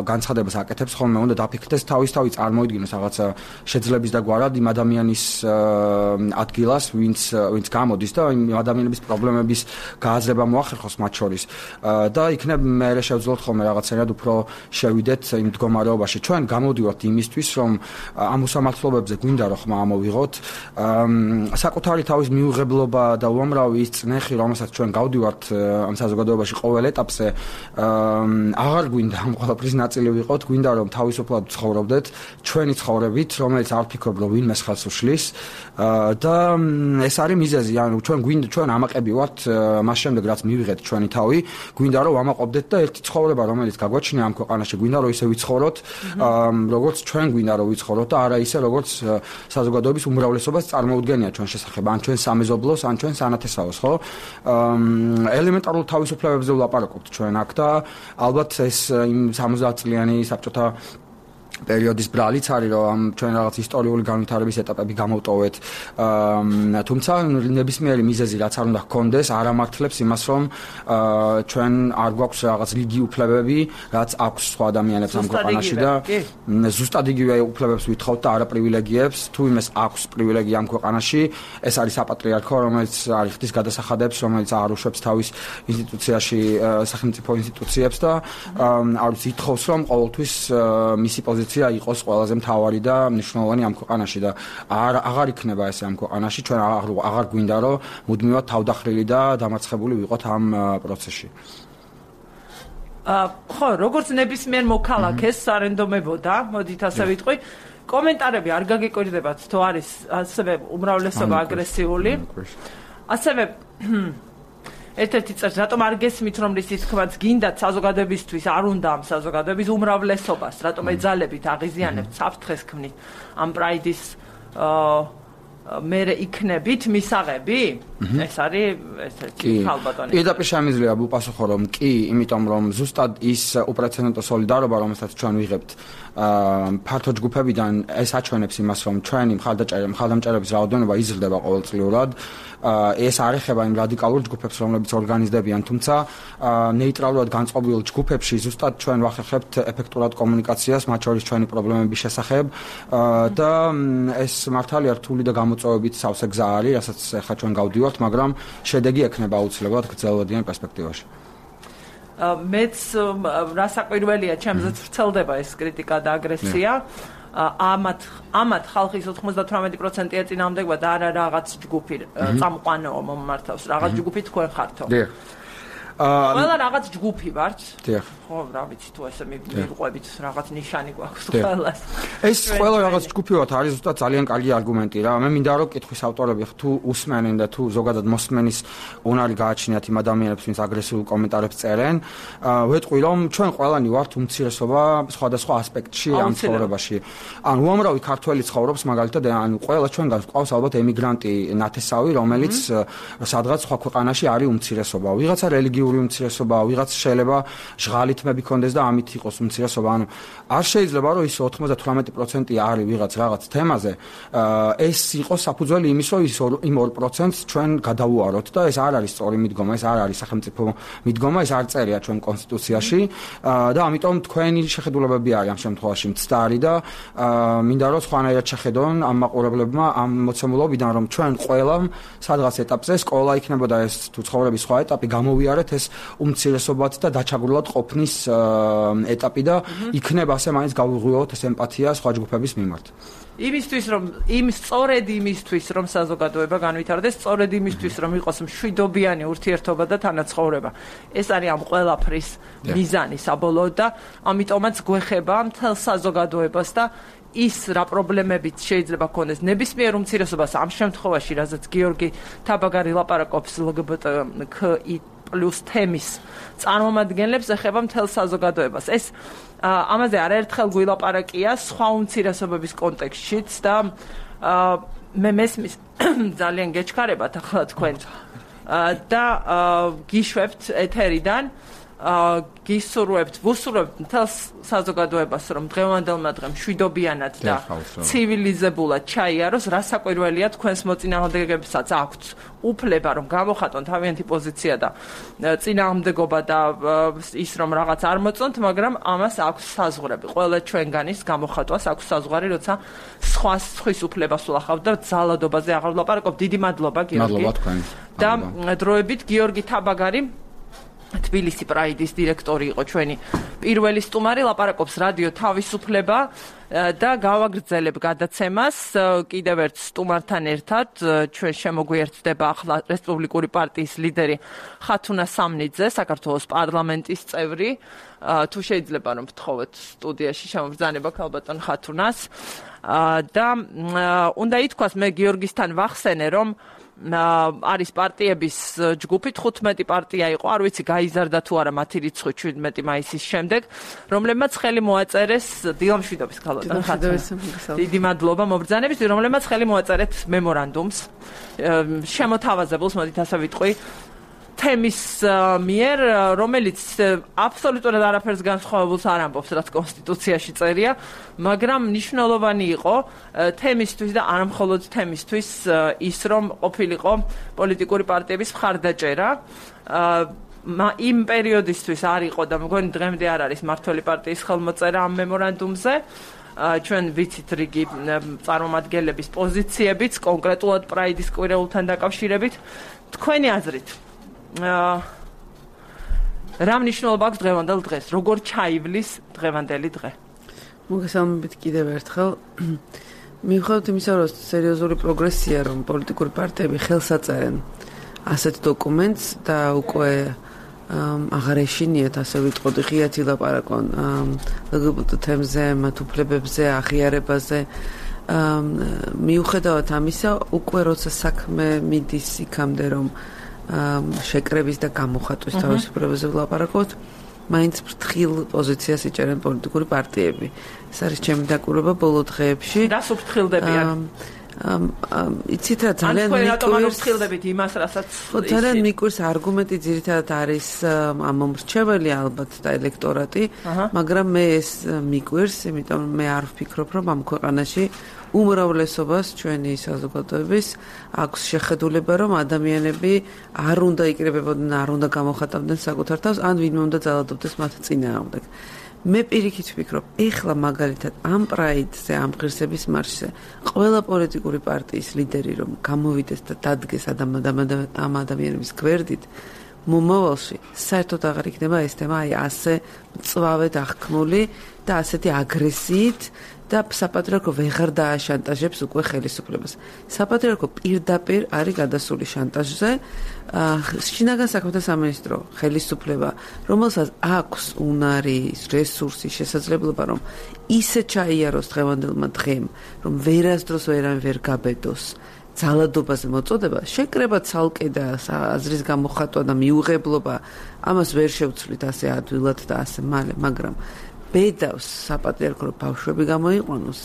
განცხადებას აკეთებს, ხოლმე უნდა დაფიქრდეს თავისთავად წარმოიდგინოს რაღაცა შეძლების და გვარად იმ ადამიანის ადგილას, ვინც ვინც გამოდის და იმ ადამიანების პრობლემების გააზრება მოახერხოს მათ შორის. და იქნებ მე შევძლოთ ხოლმე რაღაცნაირად უფრო შევიდეთ იმ მდგომარეობაში. ჩვენ გამოდივართ იმისთვის, რომ ამ უსამართლობებზე გვინდა რომ ხმა ამოვიღოთ. საკუთარი თავის მიუღებლობა და უამრავი ის წნეხი, რომელსაც ჩვენ გავდივართ ამ საზოგადოებაში ყოველ ეტაპზე, აღარ გვინდა ამ ყველაფრის ნაწილი ვიყოთ, გვინდა რომ თავისუფლად ცხოვრობდეთ ჩვენი ცხოვრებით, რომელიც არ ფიქრობ რომ ვინმეს ხელს უშლის და ეს არის მიზეზი, ანუ ჩვენ გვინდა ჩვენ ამაყები ვართ მას შემდეგ რაც მივიღეთ ჩვენი თავი, გვინდა რომ ვამაყობდეთ და ერთი ცხოვრება, რომელიც გაგვაჩნია ამ ქვეყანაში, გვინდა რომ ისე ვიცხოვროთ, როგორც ჩვენ გვინდა რომ ვიცხოვროთ და არა ისე როგორც საზოგადოების უმრავლესობას წარმოუდგენია ჩვენ შესახებ, ან ჩვენ სამეზობლოს, ან ჩვენ სანათესაოს, ხო? ელემენტარულ თავისუფლებებზე ვლაპარაკობთ ჩვენ აქ და ალბათ ეს იმ სამოცდაათ წლიანი საბჭოთა პერიოდის ბრალიც არის, რომ ჩვენ რაღაც ისტორიული განვითარების ეტაპები გამოვტოვეთ. თუმცა ნებისმიერი მიზეზი რაც არ უნდა ჰქონდეს, არ ამართლებს იმას, რომ ჩვენ არ გვაქვს რაღაც რიგი უფლებები, რაც აქვს სხვა ადამიანებს ამ ქვეყანაში და ზუსტად იგივე უფლებებს ვითხოვთ და არა პრივილეგიებს. თუ იმეს აქვს პრივილეგია ამ ქვეყანაში, ეს არის საპატრიარქო, რომელიც არ იხდის გადასახადებს, რომელიც არ უშვებს თავის ინსტიტუციაში სახელმწიფო ინსტიტუციებს და არის ითხოვს, რომ ყოველთვის მისი პოზიცია იყოს ყველაზე მთავარი და მნიშვნელოვანი ამ ქვეყანაში და არ აღარ იქნება ესე ამ ქვეყანაში, ჩვენ აღარ გვინდა რომ მუდმივად თავდახრილი და დამარცხებული ვიყოთ ამ პროცესში. ხო, როგორც ნებისმიერ მოქალაქეს სარენდომებოდა, მოდით ასე ვიტყვი, კომენტარები არ გაგიკვირდებათ, თუ არის ასევე უმრავლესობა აგრესიული. ასევე ერთ-ერთი წელს რატომ არ გესმით, რომ ისიც თქვაც გინდათ საზოგადოებისთვის, არ უნდა ამ საზოგადოების უმრავლესობას, რატომ ეძალებით, აღიზიანებთ, საფრთხეს ქმნით ამ პრაიდის მერე იქნებით მისაღები? ეს არის ესეთი ხალბატონი. პირდაპირ შემიძლია ვუპასუხო, რომ კი, იმიტომ რომ ზუსტად ის უპრეცედენტო სოლიდარობა, რომელსაც ჩვენ ვიღებთ ფართო ჯგუფებიდან, ეს აჩვენებს იმას, რომ ჩვენი მხარდამჭერების რაოდენობა იზრდება ყოველწლიურად. ეს არ ეხება იმ რადიკალურ ჯგუფებს, რომლებიც ორგანიზდებიან, თუმცა ნეიტრალურად განწყობილ ჯგუფებში ზუსტად ჩვენ ვახერხებთ ეფექტურად კომუნიკაციას მათ შორის ჩვენი პრობლემების შესახებ და ეს მართალია რთული და გამოწვევებით სავსე გზა არის, რასაც ახლა ჩვენ გავდივართ, მაგრამ შედეგი ექნება აუცილებლად გრძელვადიან პერსპექტივაში. მეც რასაკვირველია, ჩემზეც ვრცელდება ეს კრიტიკა და აგრესია. ამათ ამათ ხალხის ოთხმოცდათვრამეტი პროცენტი ეწინააღმდეგება და არა რაღაც ჯგუფი წამყვანო მომმართავს, რაღაც ჯგუფი თქვენ ხართო. დიახ. ყველა რაღაც ჯგუფი ვართ. დიახ. ხო, რა ვიცი, თუ ესე მიყვებით, რაღაც ნიშანი გვაქვს ყველას. ეს ყველა რაღაც ჯგუფი ვართ, არის ზუსტად ძალიან კარგი არგუმენტი რა. მე მინდა რომ კითხვის ავტორები თუ უსმენენ და თუ ზოგადად მოსმენის უნარი გააჩნიათ იმ ადამიანებს, ვინც აგრესიულ კომენტარებს წერენ, ვეტყვი რომ ჩვენ ყველანი ვართ უმცირესობა სხვადასხვა ასპექტში ამ ცხოვრებაში. ან უამრავი ქართველი ცხოვრობს მაგალითად, ან ყველა ჩვენგან გვყავს ალბათ ემიგრანტი ნათესავი, რომელიც სადღაც სხვა ქვეყანაში არის უმცირესობა. ვიღაცა რელიგიური უმცირესობა, ვიღაც შეიძლება ჟღალი თმები კონდეს და ამით იყოს უმცირესობა. ანუ არ შეიძლება რომ ის ოცდათვრამეტი პროცენტი არის ვიღაც რაღაც თემაზე, ეს იყოს საფუძველი იმის, რომ ის იმ ორ პროცენტს ჩვენ გადავუაროთ და ეს არ არის სწორი მიდგომა, ეს არ არის სახელმწიფო მიდგომა, ეს არ წერია ჩვენ კონსტიტუციაში და ამიტომ თქვენი შეხედულებები არის ამ შემთხვევაში მცდარი და მინდა რომ სხვანაირად შეხედონ ამ მაყურებლებმა ამ მოცემულობიდან, რომ ჩვენ ყველამ სადღაც ეტაპზე სკოლა იქნებოდა ეს თუ ცხოვრების სხვა ეტაპი გამოვიარეთ ეს უმცირესობად და დაჩაგვრილად ყოფნის ეტაპი და იქნება ასე მაინც გავუღვიოთ ეს ემპათია სხვა ჯგუფების მიმართ. იმისთვის რომ იმ სწორედ იმისთვის რომ საზოგადოება განვითარდეს, სწორედ იმისთვის რომ იყოს მშვიდობიანი ურთიერთობა და თანაცხოვრება. ეს არის ამ ყველაფრის მიზანი საბოლოოდ და ამიტომაც გვეხება მთელ საზოგადოებას და ის რა პრობლემებიც შეიძლება ქონდეს ნებისმიერ უმცირესობას ამ შემთხვევაში, რაზეც გიორგი თაბაგარი ლაპარაკობს ლგბტკი პლუს თემის წარმომადგენლებს, ეხება მთელ საზოგადოებას. ეს ამაზე არაერთხელ გვილაპარაკია სხვა უმცირესობების კონტექსტშიც და მე მესმის ძალიან გეჩქარებათ ახლა თქვენ და გიშვებთ ეთერიდან, გისურვებთ, ვუსურვებთ მთელ საზოგადოებას, რომ დღევანდელმა დღემ მშვიდობიანად და ცივილიზებულად ჩაიაროს. რასაკვირველია, თქვენს მოწინააღმდეგეებსაც აქვთ უფლება, რომ გამოხატონ თავიანთი პოზიცია და წინააღმდეგობა და ის რომ რაღაც არ მოწონთ, მაგრამ ამას აქვს საზღვრები. ყველა ჩვენგანის გამოხატვას აქვს საზღვარი, როცა სხვა სხვის უფლებას ვლახავთ და ძალადობაზე აღარ ვლაპარაკობ. დიდი მადლობა, გიორგი. მადლობა თქვენ. და დროებით გიორგი თაბაგარი თბილისი პრაიდის დირექტორი იყო ჩვენი პირველი სტუმარი, ლაპარაკობს რადიო თავისუფლება და გავაგრძელებ გადაცემას კიდევ ერთ სტუმართან ერთად. ჩვენ შემოგვიერთდება ახლა რესპუბლიკური პარტიის ლიდერი ხათუნა სამნიძე, საქართველოს პარლამენტის წევრი. თუ შეიძლება რომ ვთხოვოთ სტუდიაში შემობრძანება ქალბატონ ხათუნას და უნდა ითქვას, მე გიორგისთან ვახსენე, რომ არის პარტიების ჯგუფი, თხუთმეტი პარტია იყო, არ ვიცი გაიზარდა თუ არა მათი რიცხვი შვიდმეტი მაისის შემდეგ, რომლებმაც ხელი მოაწერეს დილამშვიდობის ქალბატონ ხათუნა. დიდი მადლობა მობრძანების, რომლებმაც ხელი მოაწერეთ მემორანდუმს შემოთავაზებულს, მოდით ასე ვიტყვი, თემის მიერ, რომელიც აბსოლუტურად არაფერს განსხვავებულს არ ამბობს, რაც კონსტიტუციაში წერია, მაგრამ მნიშვნელოვანი იყო თემისთვის და არ მხოლოდ თემისთვის ის, რომ ყოფილიყო პოლიტიკური პარტიების მხარდაჭერა. იმ პერიოდისთვის არ იყო და მგონი დღემდე არ არის მართველი პარტიის ხელმოწერა ამ მემორანდუმზე. ჩვენ ვიცით რიგი წარმომადგენლების პოზიციებიც, კონკრეტულად პრაიდის კვირეულთან დაკავშირებით. თქვენი აზრით რა მნიშვნელობა აქვს დღევანდელ დღეს? როგორ ჩაივლის დღევანდელი დღე? მოგესალმებით კიდევ ერთხელ. მიუხედავად იმისა, რომ სერიოზული პროგრესია, რომ პოლიტიკური პარტიები ხელს აწერენ ასეთ დოკუმენტს და უკვე აღარ ეშინიათ, ასე ვიტყოდი, ღიათი ლაპარაკონ ლგბტ თემზე, მათ უფლებებზე, აღიარებაზე. მიუხედავად ამისა, უკვე როცა საქმე მიდის იქამდე, რომ შეკრების და გამოხატვის თავისუფლებაზე ვლაპარაკობთ, მაინც ფრთხილ პოზიციას იჭერენ პოლიტიკური პარტიები. ეს არის ჩემი დაკვირვება ბოლო დღეებში. რას უფრთხილდებიან? იცით რა, ძალიან მიკვირს ფრთხილდებით იმას, რასაც ძალიან მიკვირს არგუმენტი, ძირითადად არის ამომრჩეველი ალბათ და ელექტორატი, მაგრამ მე ეს მიკვირს, იმიტომ მე არ ვფიქრობ, რომ ამ ქვეყანაში უმრავლესობას ჩვენი საზოგადოების აქვს შეხედულება, რომ ადამიანები არ უნდა იკრიბებოდნენ, არ უნდა გამოხატავდნენ საკუთარ თავს, ან ვინმე უნდა ძალადობდეს მათ წინააღმდეგ. მე პირიქით ვფიქრობ, ეხლა მაგალითად ამ პრაიდზე, ამ ღირსების მარშზე, ყველა პოლიტიკური პარტიის ლიდერი რომ გამოვიდეს და დადგეს ამ ადამიანების გვერდით, მომავალში საერთოდ აღარ იქნება ეს თემა აი ასე მწვავედ აღქმული და ასეთი აგრესიით და საპატრიარქო ვეღარ დააშანტაჟებს უკვე ხელისუფლებას. საპატრიარქო პირდაპირ არის გადასული შანტაჟზე. შინაგან საქმეთა სამინისტრო ხელისუფლება, რომელსაც აქვს უნარი, რესურსი, შესაძლებლობა რომ ისე ჩაიაროს დღევანდელმა დღემ, რომ ვერასდროს ვერან ვერ გაბედოს ძალადობაზე მოწოდება, შეკრება ცალკე და აზრის გამოხატვა და მიუღებლობა, ამას ვერ შევცვლით ასე ადვილად და ასე მალე, მაგრამ ბედავს საპატრიარქო რომ ბავშვები გამოიყვანოს,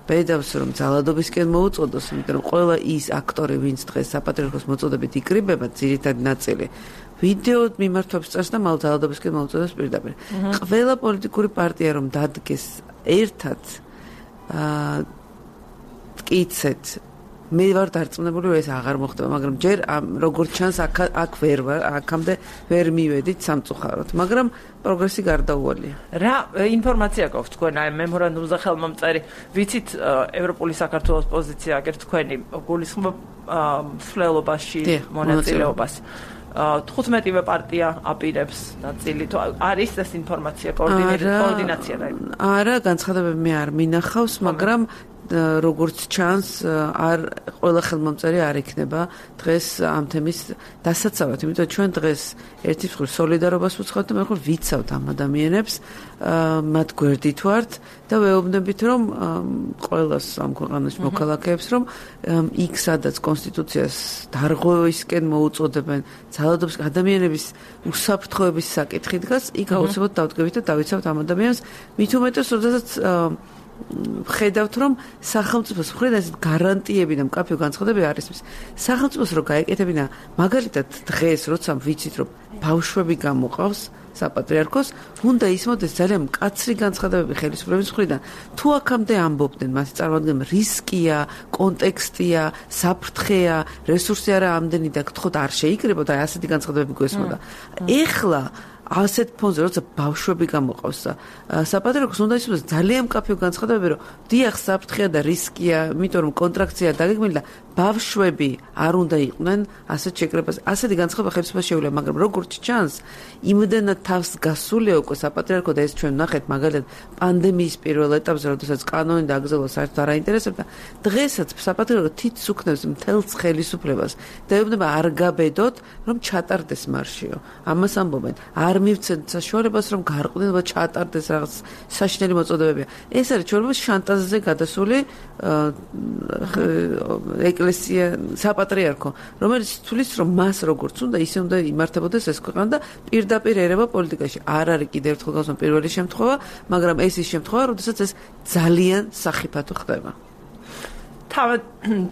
ბედავს რომ ძალადობისკენ მოუწოდოს, იმიტომ რომ ყველა ის აქტორი, ვინც დღეს საპატრიარქოს მოწოდებით იკრიბება, ძირითადი ნაწილი ვიდეო მიმართვებს წერს და მალ ძალადობისკენ მოუწოდოს პირდაპირ. ყველა პოლიტიკური პარტია რომ დადგეს ერთად აა მტკიცეთ მე ვარ დარწმუნებული რომ ეს აღარ მოხდება, მაგრამ ჯერ როგორც ჩანს აქ აქ ვერ ვარ, აქამდე ვერ მივედით სამწუხაროდ, მაგრამ პროგრესი გარდაუვალია. რა ინფორმაცია გაქვს თქვენ აი მემორანდუმზე ხელმომწერი, ვიცით ევროპული საქართველოს პოზიცია აგერ თქვენი გულისხმობ მსვლელობაში მონაწილეობას. თხუთმეტივე პარტია აპირებს ნაწილი თუ არის ეს ინფორმაცია კოორდინაცია და არა, განცხადებები მე არ მინახავს, მაგრამ როგორც ჩანს არ ყველა ხელმომწერი არ იქნება დღეს ამ თემის დასაცავად, იმიტომ ჩვენ დღეს ერთი მხრივ სოლიდარობას ვუცხავთ და მეორე ვიცავთ ამ ადამიანებს, მათ გვერდით ვართ და ვეუბნებით რომ ყველას ამ ქვეყანაში მოქალაქეებს რომ იქ სადაც კონსტიტუციას დარღვევისკენ მოუწოდებენ ძალადობის ადამიანების უსაფრთხოების საკითხი დგას, იქ აუცილებლად დავდგებით და დავიცავთ ამ ადამიანებს, მით უმეტეს როდესაც ხედავთ რომ სახელმწიფოს მხრიდან ეს გარანტიები და მკაფიო განცხადებები არის ის სახელმწიფოს რო გაეკეთებინა მაგალითად დღეს როცა ვიცით რომ ბავშვები გამოყავს საპატრიარქოს უნდა ისმოდეს ძალიან მკაცრი განცხადებები ხელისუფლების მხრიდან თუ აქამდე ამბობდნენ მას წარმოადგენენ რისკია კონტექსტია საფრთხეა რესურსი არა ამდენი და გთხოვთ არ შეიკრიბოთ აი ასეთი განცხადებები გვესმოდა ეხლა ასეთ ფონზე როცა ბავშვები გამოყავს და საპატრიარქოს უნდა ისმოდეს ძალიან მკაფიო განცხადებები რომ დიახ საფრთხეა და რისკია იმიტომ რომ კონტრაქცია დაგეგმილი და ბავშვები არ უნდა იყვნენ ასეთ შეკრებაზე ასეთი განცხადება ხელისუფლებას შეუძლია მაგრამ როგორც ჩანს იმდენად თავს გასულია უკვე საპატრიარქო და ეს ჩვენ ნახეთ მაგალითად პანდემიის პირველ ეტაპზე როდესაც კანონი დაგზავნა საერთოდ არ აინტერესებდა დღესაც საპატრიარქო თითს უქნევს მთელს ხელისუფლებას და ეუბნება არ გაბედოთ რომ ჩატარდეს მარშიო ამას ამბობენ არ მივცეთ საშუალებას რომ გარყვნენ და ჩატარდეს რაღაც საშინელი მოწოდებებია ეს არის ჩვენს შანტაჟზე გადასული ეკლესია საპატრიარქო რომელიც თulis რომ მას როგორც უნდა ისე უნდა იმართებოდეს ეს ქვეყანა და პირდაპირ ერევა პოლიტიკაში არ არის კიდევ ერთხელ გავსვამ პირველი შემთხვევა მაგრამ ეს ის შემთხვევა როდესაც ეს ძალიან სახიფათო ხდება თავად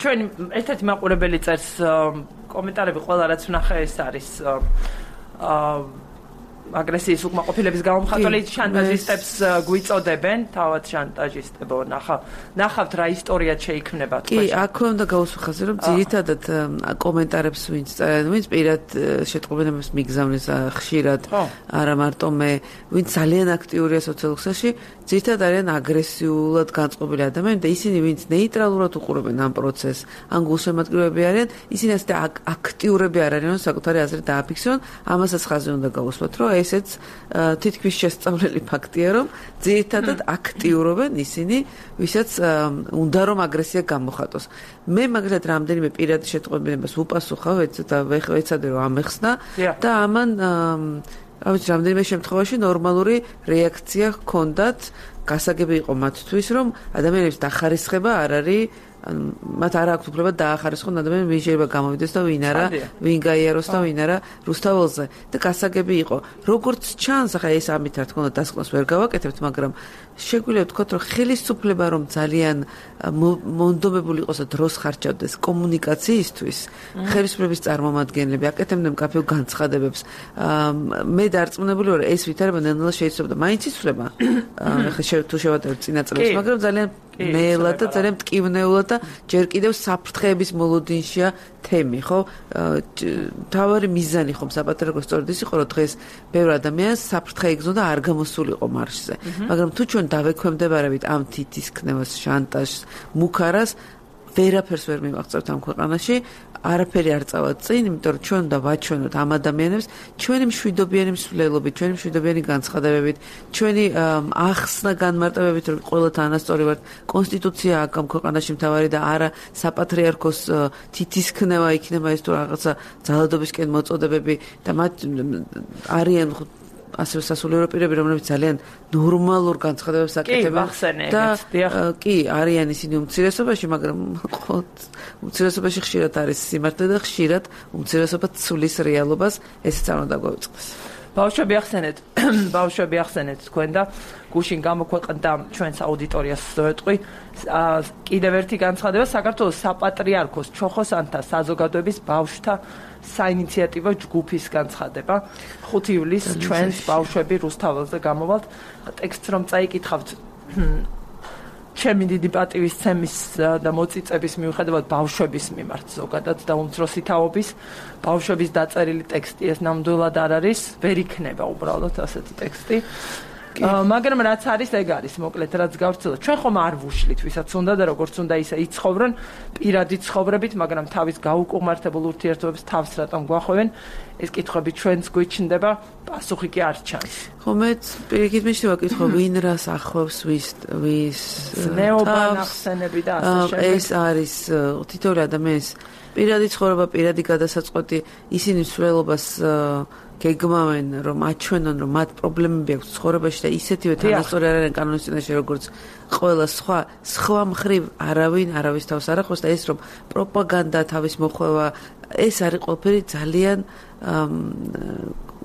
ჩვენი ერთ-ერთი მაყურებელი წერს კომენტარები ყველა რაც ვნახე ეს არის აა აგრესიის უკმაყოფილების გამომხატველი შანტაჟისტებს გვიწოდებენ, თავად შანტაჟისტებო, ნახავ, ნახავთ რა ისტორია შეიქმნება კი, თქვენ. აქვე უნდა გავუსახაზე, რომ ძირითადად კომენტარებს ვინც წერენ, ვინც პირად შეტყობინებას მიგზავნეს ხშირად, არა მარტო მე, ვინც ძალიან აქტიურია სოციალურ ქსელში, ძირითადად არიან აგრესიულად განწყობილი ადამიანები და ისინი ვინც ნეიტრალურად უყურებენ ამ პროცესს, ან გულშემატკივრები არიან, ისინი ასე აქტიურები არ არიან, საკუთარი აზრი დააფიქსირონ, ამასაც ხაზი უნდა გავუსვათ, რომ ესეც თითქმის შესწავლილი ფაქტია, რომ ძირითადად აქტიურობენ ისინი, ვისაც უნდა რომ აგრესია გამოხატოს. მე მაგალითად რამდენიმე პირად შეტყობინებას ვუპასუხავ და ვეცადე რომ ამეხსნა და ამან ავიც რამდენიმე შემთხვევაში ნორმალური რეაქცია ჰქონდათ, გასაგები იყო მათთვის, რომ ადამიანების დახარისხება არ არის მათ არ აქვს უფლება დაახარისხონ ადამიანები ვინ შეიძლება გამოვიდეს და ვინ არა ვინ გაიაროს და ვინ არა რუსთაველზე და გასაგები იყო როგორც ჩანს ახლა ეს ამით რა თქმა უნდა დასკვნას ვერ გავაკეთებთ მაგრამ შეგვიძლია ვთქვათ რომ ხელისუფლება რომ ძალიან მონდომებული იყოს და დროს ხარჯავდეს კომუნიკაციისთვის ხელისუფლების წარმომადგენლები აკეთებდნენ მკაფიო განცხადებებს მე დარწმუნებული ვარ ეს ვითარება ნელ-ნელა შეიძლება და მაინც იცვლება ახლა თუ შევატევთ წინა წლებს მაგრამ ძალიან ნელა და ძალიან მტკივნეულად და ჯერ კიდევ საფრთხეების მოლოდინშია თემი, ხო? თავარი მიზანი ხომ საპატრიარქოს სწორედ ის იყო, რომ დღეს ბევრ ადამიანს საფრთხე იგზნოდა არ გამოსულიყო მარშზე. მაგრამ თუ ჩვენ დავექვემდებარებით ამ თითისქნევას, შანტაჟს, მუქარას, ვერაფერს ვერ მივაღწევთ ამ ქვეყანაში, არაფერი არ წავად წინ, იმიტომ რომ ჩვენ უნდა ვაჩვენოთ ამ ადამიანებს ჩვენი მშვიდობიანი მსვლელობით, ჩვენი მშვიდობიანი განცხადებებით, ჩვენი ახსნა განმარტებებით, რომ ყველა თანასწორი ვართ, კონსტიტუცია აქვს ამ ქვეყანაში მთავარი და არა საპატრიარქოს თითისქნევა იქნება ეს თუ რაღაცა ძალადობისკენ მოწოდებები და მათ არიან ასევე სასულიერო პირები, რომლებიც ძალიან ნორმალურ განცხადებებს აკეთებენ და კი არიან ისინი უმცირესობაში, მაგრამ უმცირესობაში ხშირად არის სიმართლე და ხშირად უმცირესობა ცulis რეალობას, ესეც არ უნდა გვაუწყდეს. ბავშვები ახსენეთ, ბავშვები ახსენეთ თქვენ და გუშინ გამოქვეყნდა ჩვენს აუდიტორიას ზოეთყვი კიდევ ერთი განცხადება საქართველოს საპატრიარქოს ჩოხოსანთა საზოგადოების ბავშვთა საინიციატივო ჯგუფის განცხადება. ხუთი ივლისს ჩვენს ბავშვები რუსთაველზე გამოვალთ. ტექსტს რომ წაიკითხავთ ჩემი დიდი პატივისცემის და მოწიწების მიუხედავად ბავშვების მიმართ ზოგადად და უმცროსი თაობის ბავშვების დაწერილი ტექსტი ეს ნამდვილად არ არის, ვერ იქნება უბრალოდ ასეთი ტექსტი. მაგრამ რაც არის ეგ არის მოკლედ რაც გავცილოთ. ჩვენ ხომ არ ვუშლით ვისაც უნდა და როგორც უნდა ისე იცხოვრონ პირადი ცხოვრებით, მაგრამ თავის გაუკუღმართებულ ურთიერთობებს თავს რატომ გვახვევენ? ეს კითხვები ჩვენს გვიჩნდება, პასუხი კი არ ჩანს. ხო მეც პირიქით მიშლივა კითხვა, ვინ რას ახლავს, ვის ვის ნეობა ნახსენები და ასე შემდეგ. ეს არის თითოეული ადამიანის პირადი ცხოვრება, პირადი გადასაწყვეტი, ისინი მსვლელობას გეგმავენ, რომ აჩვენონ, რომ მათ პრობლემები აქვს ცხოვრებაში და ისეთივე თანასწორი არიან კანონის წინაშე, როგორც ყველა სხვა, სხვა მხრივ არავინ არავის თავს არ ახლავს და ეს რომ პროპაგანდა, თავის მოხვევა, ეს არის ყველაფერი ძალიან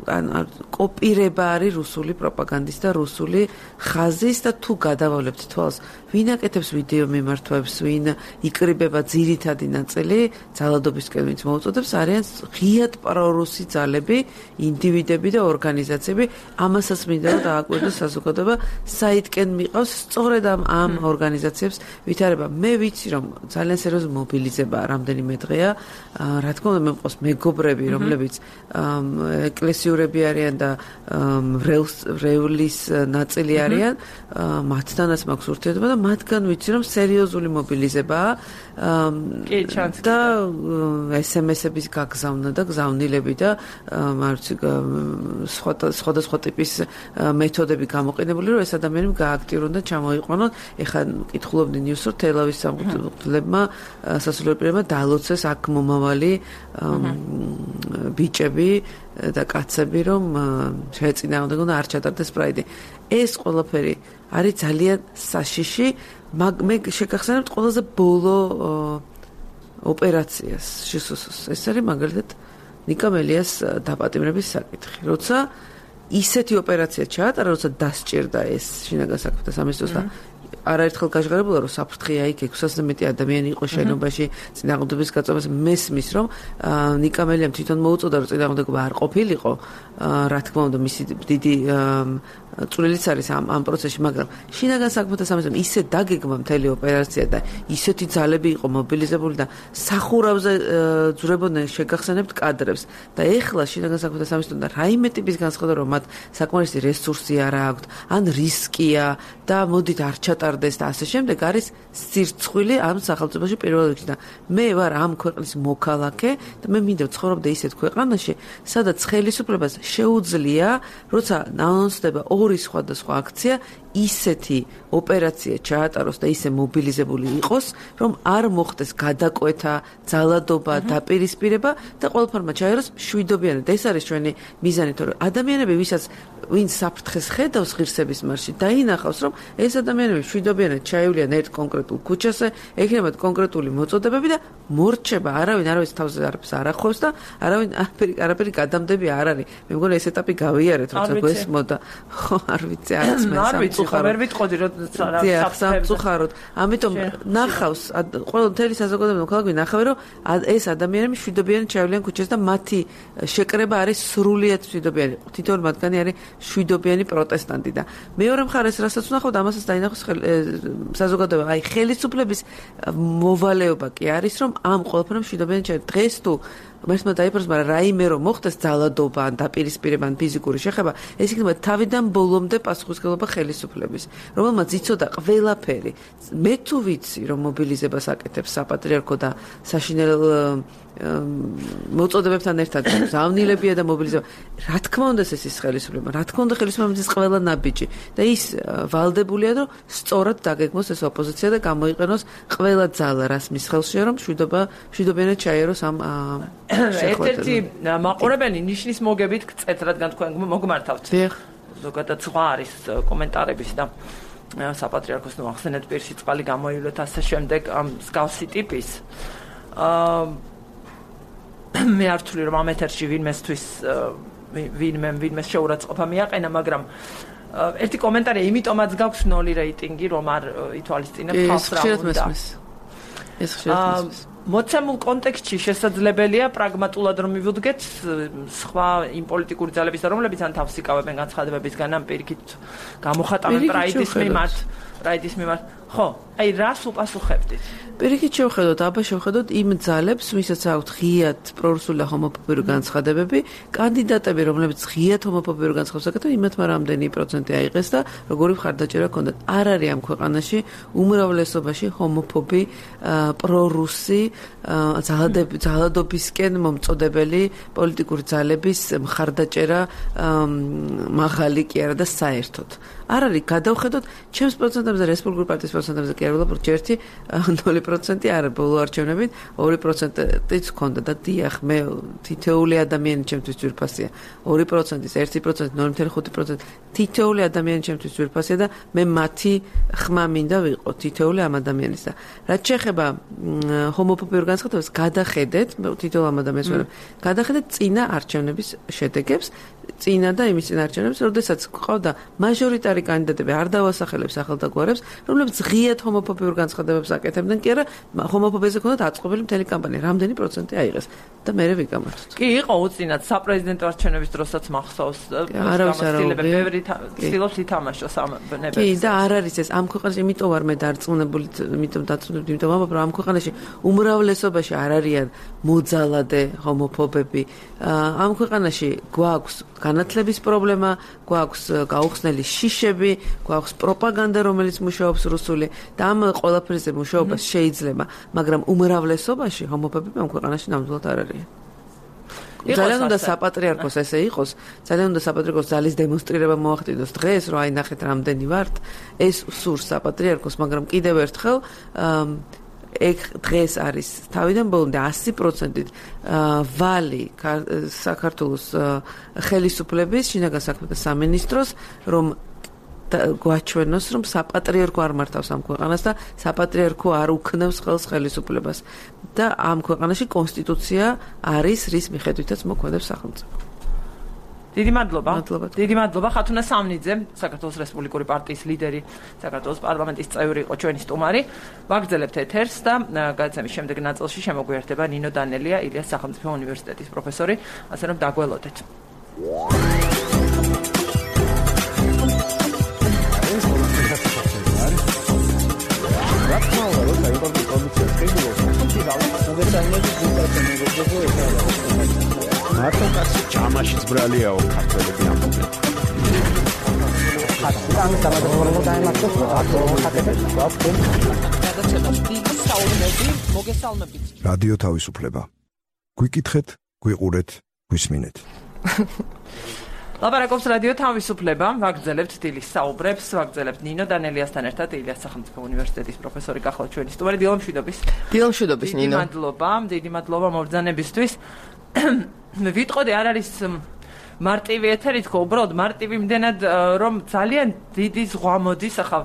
ან კოპირება არის რუსული პროპაგანდის და რუსული ხაზის და თუ გადავავლებთ თვალს, ვინ აკეთებს ვიდეო მიმართვებს, ვინ იკრიბება ძირითადი ნაწილი ძალადობისკენ, ვინც მოუწოდებს, არიან ღიად პრორუსი ძალები, ინდივიდები და ორგანიზაციები, ამასაც მინდა რომ დააკვირდეს საზოგადოება, საითკენ მიყავს სწორედ ამ ამ ორგანიზაციებს ვითარება. მე ვიცი რომ ძალიან სერიოზული მობილიზება რამდენიმე დღეა, რა თქმა უნდა მე მყავს მეგობრები, რომლებიც ეკლესიურები არიან და ვრევლის ნაწილი არიან, მათთანაც მაქვს ურთიერთობა და მათგან ვიცი რომ სერიოზული მობილიზებაა და ესემესების გაგზავნა და გზავნილები და მარცი სხვადასხვა ტიპის მეთოდები გამოყენებული რომ ეს ადამიანები გააქტიურონ და ჩამოიყვანონ. ეხლა კითხულობდნენ ნიუსს რომ თელავის სამღვდლებმა სასულიერო პირებმა დაალოცეს აქ მომავალი ბიჭები და კაცები რომ შეეწინააღმდეგონ და არ ჩატარდეს პრაიდი. ეს ყველაფერი არის ძალიან საშიში, მე შეგახსენებთ ყველაზე ბოლო ოპერაციას შესუსოს. ეს არის მაგალითად ნიკამელიას დაპატიმრების საკითხი. როცა ისეთი ოპერაცია ჩაატარა, როცა დასჭირდა ეს შინაგან საქმეთა სამინისტროს და არაერთხელ გაჟღერებულა რომ საფრთხეა იქ ექვსასზე მეტი ადამიანი იყო შენობაში წინააღმდეგობის გაწევას მესმის რომ ნიკამელიამ თვითონ მოუწოდა რომ წინააღმდეგობა არ ყოფილიყო, რა თქმა უნდა მისი დიდი წვლილიც არის ამ ამ პროცესში, მაგრამ შინაგან საქმეთა სამინისტრომ ისე დაგეგმა მთელი ოპერაცია და ისეთი ძალები იყო მობილიზებული და სახურავზე ძვრებოდნენ შეგახსენებთ კადრებს და ეხლა შინაგან საქმეთა სამინისტრომ და რაიმე ტიპის განცხადება რომ მათ საკმარისი რესურსი არ აქვთ, ან რისკია და მოდით არ ჩატარდეს და ასე შემდეგ არის სირცხვილი ამ სახელმწიფოში პირველ რიგში და მე ვარ ამ ქვეყნის მოქალაქე და მე მინდა ვცხოვრობდე ისეთ ქვეყანაში, სადაც ხელისუფლებას შეუძლია, როცა ანონსდება ორი სხვადასხვა აქცია, ისეთი ოპერაცია ჩაატაროს და ისე მობილიზებული იყოს, რომ არ მოხდეს გადაკვეთა, ძალადობა, დაპირისპირება და ყველაფერმა ჩაეროს მშვიდობიანად. ეს არის ჩვენი მიზანი, თორე ადამიანები, ვისაც ვინ საფრთხეს ხედავს ღირსების მარშში, დაინახავს, რომ ეს ადამიანები მშვიდობიანად ჩაივლიან ერთ კონკრეტულ ქუჩაზე, ექნებათ კონკრეტული მოწოდებები და მორჩება, არავინ არავის თავზე არაფერს არ ახლავს და არავინ არაფერი არაფერი გადამდები არ არის. მე მგონი ეს ეტაპი გავიარეთ, როცა გვესმოდა. ხო, არ ვიცი, არც მე არ ვიცი, სამწუხაროდ. ამიტომ ნახავს, ყველა მთელი საზოგადოება მოქალაქე ნახავენ, რომ ეს ადამიანები მშვიდობიანად ჩაივლიან ქუჩაზე და მათი შეკრება არის სრულიად მშვიდობიანი. თითოეული მათგანი არის მშვიდობიანი პროტესტანტი და მეორე მხარეს, რასაც ვნახავთ, ამასაც დაინახავს საზოგადოება, აი ხელისუფლების მოვალეობა კი არის, რომ ამ ყველაფერს მშვიდობიან ჩაერთ. დღეს თუ მართლა დაიფროს, მაგრამ რაიმე რომ მოხდეს ძალადობა ან დაპირისპირება ან ფიზიკური შეხება, ეს იქნება თავიდან ბოლომდე პასუხისმგებლობა ხელისუფლების, რომელმაც იცოდა ყველაფერი. მე თუ ვიცი, რომ მობილიზებას აკეთებს საპატრიარქო და საშინელ მოწოდებებთან ერთად ზავნილებია და მობილიზება. რა თქმა უნდა ეს ის ხელისუფლება, რა თქმა უნდა ხელისუფლების ის ყველა ნაბიჯი და ის ვალდებულია, რომ სწორად დაგეგმოს ეს ოპოზიცია და გამოიყენოს ყველა ძალა, რას მის ხელშია, რომ მშვიდობა მშვიდობიანად ჩაიეროს ამ ერთ-ერთი მაყურებელი ნიშნის მოგებით გწეთ, რადგან თქვენ მოგმართავთ. დიახ. ზოგადად სხვა არის კომენტარების და საპატრიარქოს ნუ ახსენეთ პირში წყალი გამოივლეთ ასე შემდეგ ამ მსგავსი ტიპის. აა მე არ ვთვლი რომ ამ ეთერში ვინმესთვის ვინმე ვინმეს შეურაცხყოფა მიაყენა, მაგრამ ერთი კომენტარი იმიტომაც გაქვს ნული რეიტინგი, რომ არ ითვალისწინებ ხალხს რა უნდა. ეს ხშირად მისმის. მოცემულ კონტექსტში შესაძლებელია პრაგმატულად რომ მივუდგეთ სხვა იმ პოლიტიკური ძალების, რომლებიც ან თავს იკავებენ განცხადებებისგან, ან პირიქით გამოხატავენ პრაიდის მიმართ, პრაიდის მიმართ. ხო, აი რას უპასუხებდით? პირიქით შევხედოთ, აბა შევხედოთ იმ ძალებს, ვისაც აქვთ ღიად პრორუსული და ჰომოფობიური განცხადებები, კანდიდატები, რომლებიც ღიად ჰომოფობიური განცხადებას აკეთებენ, იმათმა რამდენი პროცენტი აიღეს და როგორი მხარდაჭერა ჰქონდათ. არ არის ამ ქვეყანაში უმრავლესობაში ჰომოფობი, პრორუსი, ძალადობისკენ მომწოდებელი პოლიტიკური ძალების მხარდაჭერა მაღალი კი არა და საერთოდ. არ არის გადავხედოთ ჩემს პროცენტებზე, რესპუბლიკური პარტიის პროცენტებზე კი არ ვუყურებ ერთი ნული პროცენტი არა, ბოლო არჩევნებით ორი პროცენტიც ჰქონდა და დიახ, მე თითოეული ადამიანი ჩემთვის ძვირფასია. ორი პროცენტის ერთი პროცენტი, ნული კომა ხუთი პროცენტი თითოეული ადამიანი ჩემთვის ძვირფასია და მე მათი ხმა მინდა ვიყო, თითოეული ამ ადამიანის და რაც შეეხება ჰომოფობიურ განცხადებას, გადახედეთ, თითოეულ ამ ადამიანს ვერებ, გადახედეთ წინა არჩევნების შედეგებს, წინა და იმის წინა არჩევნებს, როდესაც ყავდა მაჟორიტარი კანდიდატები, არ დავასახელებ სახელთაგვარებს, რომლებიც ღიად ჰომოფობიურ განცხადებებს აკეთებდნენ, კი არა, ჰომოფობიაზე ჰქონდათ აწყობილი მთელი კამპანია, რამდენი პროცენტი აიღეს და მერე ვიკამათოთ. კი, იყო უწინათ საპრეზიდენტო არჩევნების დროსაც მახსოვს, გამოცდილებები ბევრი ცდილობს ითამაშოს ამ ბნებებს. კი, და არ არის ეს ამ ქვეყანაში, იმიტომ ვარ მე დარწმუნებული, იმიტომ დაწუნებული, იმიტომ ვამბობ, რომ ამ ქვეყანაში უმრავლესობაში არ არიან მოძალადე ჰომოფობები. ამ ქვეყანაში გვაქვს განათლების პრობლემა, გვაქვს გაუხსნელი შიშები, გვაქვს პროპაგანდა, რომელიც მუშაობს რუსული და ამ ყველაფერზე მუშაობას შეიძლება, მაგრამ უმრავლესობაში ჰომოფობები ამ ქვეყანაში ნამდვილად არ არიან. ძალიან უნდა საპატრიარქოს ესე იყოს, ძალიან უნდა საპატრიარქოს ძალის დემონსტრირება მოახდინოს დღეს, რომ აი ნახეთ რამდენი ვართ, ეს სურს საპატრიარქოს, მაგრამ კიდევ ერთხელ ეგ დღეს არის თავიდან ბოლომდე ასი პროცენტით ვალი საქართველოს ხელისუფლების შინაგან საქმეთა სამინისტროს, რომ გვაჩვენოს, რომ საპატრიარქო არ მართავს ამ ქვეყანას და საპატრიარქო არ უქნევს ხელს ხელისუფლებას და ამ ქვეყანაში კონსტიტუცია არის, რის მიხედვითაც მოქმედებს სახელმწიფო. დიდი მადლობა. დიდი მადლობა ხათუნა სამნიძე, საქართველოს რესპუბლიკური პარტიის ლიდერი, საქართველოს პარლამენტის წევრი იყო ჩვენი სტუმარი. ვაგრძელებთ ეთერს და გადაცემის შემდეგ ნაწილში შემოგვიერთება ნინო დანელია, ილიას სახელმწიფო უნივერსიტეტის პროფესორი, ასე რომ დაგველოდეთ. მარტო კაცი ჯამაშიც ბრალიაო ქართველები ამბობენ. ხატი დამადაბა დაემართოს ხატებს გვაქვს. გადაცემას დიდი საუბნები მოგესალმებით. რადიო თავისუფლება. გვიკითხეთ, გვიყურეთ, გვისმინეთ. ლაპარაკობს რადიო თავისუფლება, ვაგრძელებთ დილის საუბრებს, ვაგრძელებთ ნინო დანელიასთან ერთად, ილიას სახელმწიფო უნივერსიტეტის პროფესორი გახლავთ ჩვენი სტუმარი. დილომშვიდობის. დილომშვიდობის ნინო. დიდი მადლობა, დიდი მადლობა მობრძანებისთვის. მე ვიტყოდი არ არის მარტივი ეთერი თქო, უბრალოდ მარტივი იმდენად რომ ძალიან დიდი ზღვა მოდის, ახლა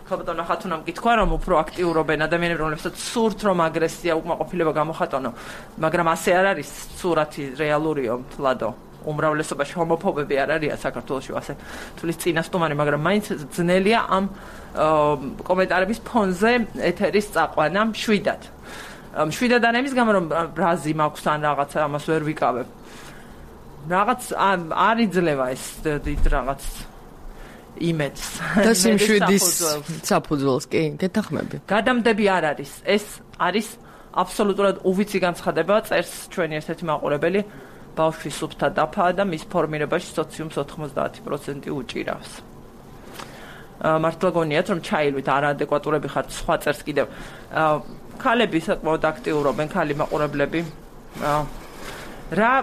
ხალბატონო ხათუნამ კითხვა რომ უფრო აქტიურობენ ადამიანები, რომლებსაც სურთ რომ აგრესია, უკმაყოფილება გამოხატონო, მაგრამ ასე არ არის სურათი რეალურიო თლადო. უმრავლესობაში ჰომოფობები არ არიან საქართველოში, ასე თulis წინასწარი, მაგრამ მაინც ძნელია ამ კომენტარების ფონზე ეთერის წაყვანა მშვიდად. მშვიდად არ ამის გამო რომ ბრაზი მაქვს ან რაღაცა ამას ვერ ვიკავებ. რაღაც არ იძლევა ეს დიდ რაღაც იმედს. და სიმშვიდის საფუძველს კი გეთახმები. გადამდები არ არის. ეს არის აბსოლუტურად უვიცი განცხადება, წერს ჩვენი ერთ-ერთი მაყურებელი. ბავშვის სუფთა დაფაა და მის ფორმირებაში სოციუმს ოთხმოცდაათი პროცენტი უჭირავს. მართლა გონიათ რომ ჩაილვით არაადეკვატურები ხართ სხვა წერს კიდევ. ქალები საკმაოდ აქტიურობენ, ქალი მაყურებლები. რა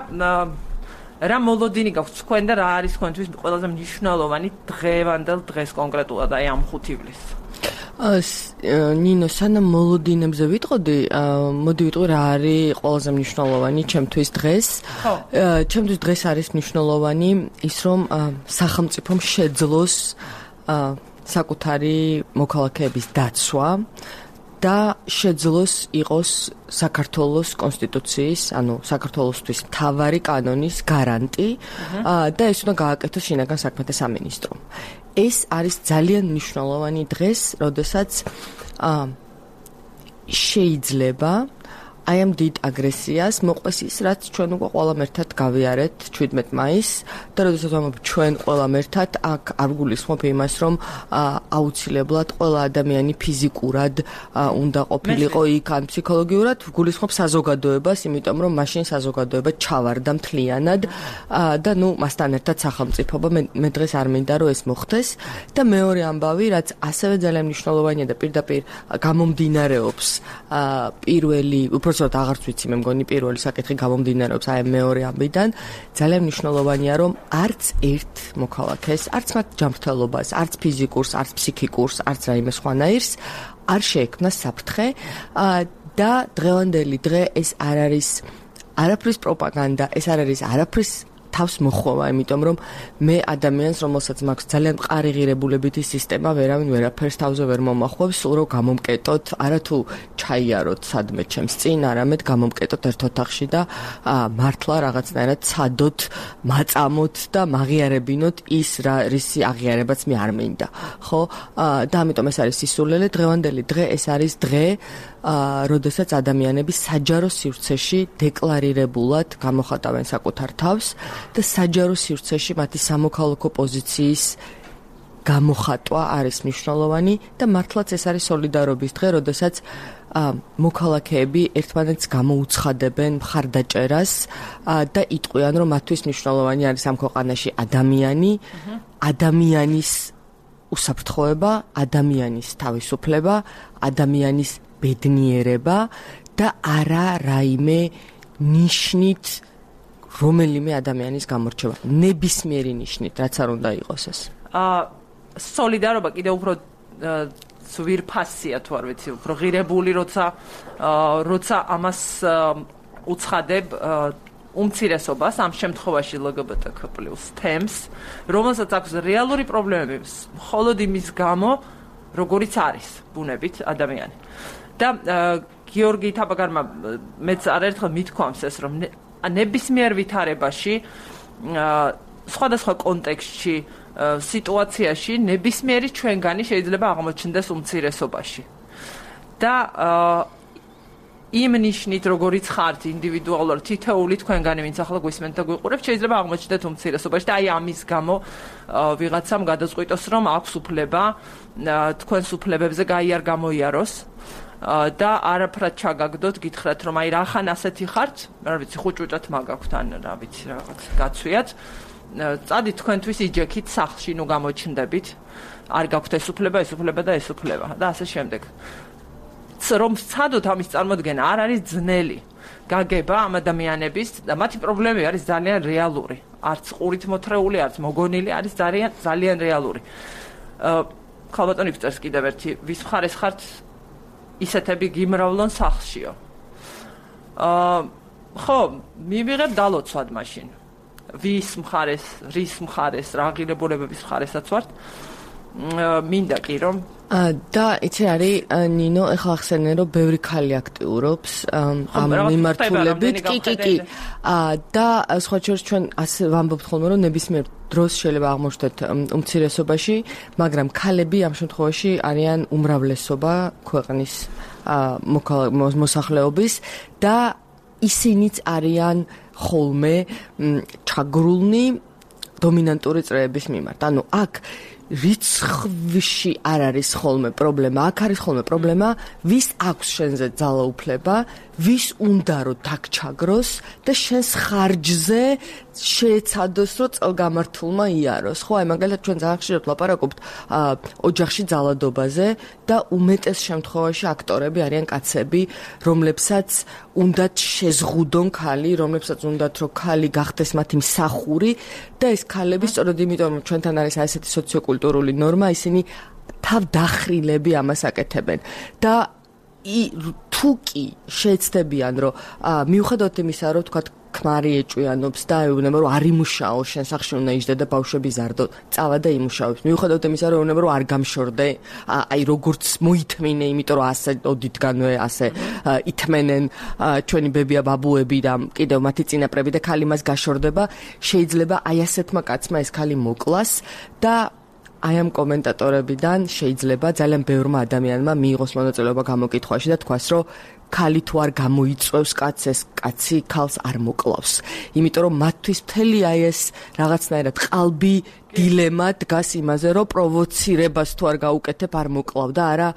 რა მოლოდინი გაქვს თქვენ და რა არის თქვენთვის ყველაზე მნიშვნელოვანი დღევანდელ დღეს კონკრეტულად აი ამ ხუთ ივლისს? ნინო, სანამ მოლოდინებზე ვიტყოდი, მოდი ვიტყვი რა არის ყველაზე მნიშვნელოვანი ჩემთვის დღეს. ჩემთვის დღეს არის მნიშვნელოვანი ის, რომ სახელმწიფომ შეძლოს საკუთარი მოქალაქეების დაცვა და შეძლოს იყოს საქართველოს კონსტიტუციის, ანუ საქართველოსთვის მთავარი კანონის გარანტი და ეს უნდა გააკეთოს შინაგან საქმეთა სამინისტრომ. ეს არის ძალიან მნიშვნელოვანი დღეს, როდესაც შეიძლება აი ამ დიდ აგრესიას მოყვეს ის, რაც ჩვენ უკვე ყველამ ერთად გავიარეთ შვიდმეტ მაისს და როდესაც ვამბობ ჩვენ ყველამ ერთად, აქ არ გულისხმობ იმას, რომ აუცილებლად ყველა ადამიანი ფიზიკურად უნდა ყოფილიყო იქ ან ფსიქოლოგიურად, გულისხმობ საზოგადოებას, იმიტომ რომ მაშინ საზოგადოება ჩავარდა მთლიანად და ნუ მასთან ერთად სახელმწიფოობა. მე დღეს არ მინდა რომ ეს მოხდეს და მეორე ამბავი, რაც ასევე ძალიან მნიშვნელოვანია და პირდაპირ გამომდინარეობს პირველი უბრალოდ აღარც ვიცი მე მგონი პირველი საკითხი გამომდინარეობს აი მეორე ამბიდან ძალიან მნიშვნელოვანია რომ არც ერთ მოქალაქეს არც მათ ჯანმრთელობას არც ფიზიკურს არც ფსიქიკურს არც რაიმე სხვანაირს არ შეექმნა საფრთხე და დღევანდელი დღე ეს არ არის არაფრის პროპაგანდა ეს არ არის არაფრის თავს მოხვევა, იმიტომ რომ მე ადამიანს, რომელსაც მაქვს ძალიან მყარი ღირებულებითი სისტემა, ვერავინ ვერაფერს თავზე ვერ მომახვევს, სულ რომ გამომკეტოთ, არათუ ჩაიაროთ სადმე ჩემს წინ, არამედ გამომკეტოთ ერთ ოთახში და მართლა რაღაცნაირად ცადოთ, მაწამოთ და მაღიარებინოთ ის რა რისი აღიარებაც მე არ მინდა. ხო? და ამიტომ ეს არის სისულელე, დღევანდელი დღე ეს არის დღე როდესაც ადამიანები საჯარო სივრცეში დეკლარირებულად გამოხატავენ საკუთარ თავს და საჯარო სივრცეში მათი სამოქალაქო პოზიციის გამოხატვა არის მნიშვნელოვანი და მართლაც ეს არის სოლიდარობის დღე, როდესაც მოქალაქეები ერთმანეთს გამოუცხადებენ მხარდაჭერას და იტყვიან, რომ მათთვის მნიშვნელოვანი არის ამ ქვეყანაში ადამიანი, ადამიანის უსაფრთხოება, ადამიანის თავისუფლება, ადამიანის ბედნიერება და არა რაიმე ნიშნით რომელიმე ადამიანის გამორჩევა. ნებისმიერი ნიშნით, რაც არ უნდა იყოს ეს. აა სოლიდარობა კიდევ უფრო ზვირფასია თუ არ ვიცი, უფრო ღირებული, როცა როცა ამას უცხადებ უმცირესობას, ამ შემთხვევაში L G B T Q plus თემს, რომელსაც აქვს რეალური პრობლემები, მხოლოდ იმის გამო, როგორიც არის ბუნებით ადამიანი. და გიორგი თაბაგარმა მეც არაერთხელ მithქვამს ეს რომ ნებისმიერ ვითარებაში სხვადასხვა კონტექსტში სიტუაციაში ნებისმიერი ჩვენგანი შეიძლება აღმოჩნდეს უმცირესობაში და იმ ნიშნით როგორიც ხართ ინდივიდუალურად თითოეული თქვენგანი ვინც ახლა გვისმენთ და გვიყურებთ შეიძლება აღმოჩნდეთ უმცირესობაში და აი ამის გამო ვიღაცამ გადაწყვიტოს რომ აქვს უფლება თქვენს უფლებებზე გაიარ გამოიაროს და არაფრად ჩაგაგდოთ, გითხრათ რომ აი რახან ასეთი ხართ, რა ვიცი, ხუჭუჭად მაგაქვთ ან რა ვიცი რაღაც გაცვიათ. წადით თქვენთვის იჯექით სახლში, ნუ გამოჩნდებით. არ გაქვთ ეს უფლება, ეს უფლება და ეს უფლება და ასე შემდეგ. რომ სცადოთ ამის წარმოქმნა არ არის ძნელი. გაგება ამ ადამიანების და მათი პრობლემები არის ძალიან რეალური. არც ყურით მოთრეული, არც მოგონილი, არის ძალიან ძალიან რეალური. ხალბატონი წერს კიდევ ერთი, ვის მხარეს ხართ ისეთები გიმრავლონ სახლშიო. აა ხო, მივიღებ დალოცვად მაშინ. ვის მხარეს, რის მხარეს, რა ღირებულებების მხარესაც ვართ. მინდა კი რომ და იცი არის ნინო, ეხლა ახსენე რომ ბევრი ქალი აქტიურობს ამ მიმართულებით. კი, კი, კი. და სხვა შორის ჩვენ ასე ვამბობთ ხოლმე რომ ნებისმიერ დროს შეიძლება აღმოჩნდეთ უმცირესობაში, მაგრამ ქალები ამ შემთხვევაში არიან უმრავლესობა ქვეყნის მოსახლეობის და ისინიც არიან ხოლმე ჩაგრულნი დომინანტური წრეების მიმართ. ანუ აქ რიცხვში არ არის ხოლმე პრობლემა, აქ არის ხოლმე პრობლემა, ვის აქვს შენზე ძალაუფლება, ვის უნდა რომ დაგჩაგროს და შენს ხარჯზე შეეცადოს რომ წელგამართულმა იაროს. ხო, აი მაგალითად ჩვენ ძალიან ხშირად ვლაპარაკობთ ოჯახში ძალადობაზე და უმეტეს შემთხვევაში აქტორები არიან კაცები, რომლებსაც უნდათ შეზღუდონ ქალი, რომლებსაც უნდათ რომ ქალი გახდეს მათი მსახური და ეს ქალები სწორედ იმიტომ რომ ჩვენთან არის ასეთი სოციოკულტურული ნორმა, ისინი თავდახრილები ამას აკეთებენ და თუ კი შეეცდებიან რომ მიუხედავად იმისა რომ თქვათ ქმარი ეჭვიანობს და ეუბნება რომ არ იმუშაო შენ სახში უნდა იჯდე და ბავშვები ზარდო წავა და იმუშავებს მიუხედავად იმისა რომ ეუბნება რომ არ გამშორდე აი როგორც მოითმინე იმიტომ რომ ასე ოდითგანვე ასე ითმენენ ჩვენი ბებია ბაბუები და კიდევ მათი წინაპრები და ქალი მას გაშორდება შეიძლება აი ასეთმა კაცმა ეს ქალი მოკლას და აი ამ კომენტატორებიდან შეიძლება ძალიან ბევრმა ადამიანმა მიიღოს მონაწილეობა გამოკითხვაში და თქვას რომ ქალი თუ არ გამოიწვევს კაცს ეს კაცი ქალს არ მოკლავს. იმიტომ რომ მათთვის მთელი აი ეს რაღაცნაირად ყალბი დილემა დგას იმაზე რომ პროვოცირებას თუ არ გაუკეთებ არ მოკლავ და არა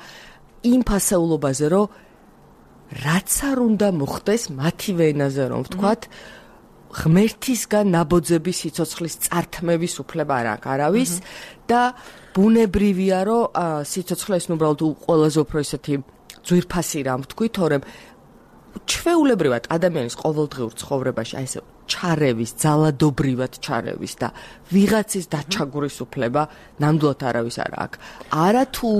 იმ ფასეულობაზე რომ რაც არ უნდა მოხდეს მათივე ენაზე რომ ვთქვათ ღმერთისგან ნაბოძების სიცოცხლის წართმევის უფლება არ აქვს არავის და ბუნებრივია რომ სიცოცხლე ეს უბრალოდ ყველაზე უფრო ისეთი ძვირფასი რამ ვთქვი, თორემ ჩვეულებრივად ადამიანის ყოველდღიურ ცხოვრებაში აი ესე ჩარევის, ძალადობრივად ჩარევის და ვიღაცის დაჩაგურის უფლება ნამდვილად არავის არ აქვს. არა თუ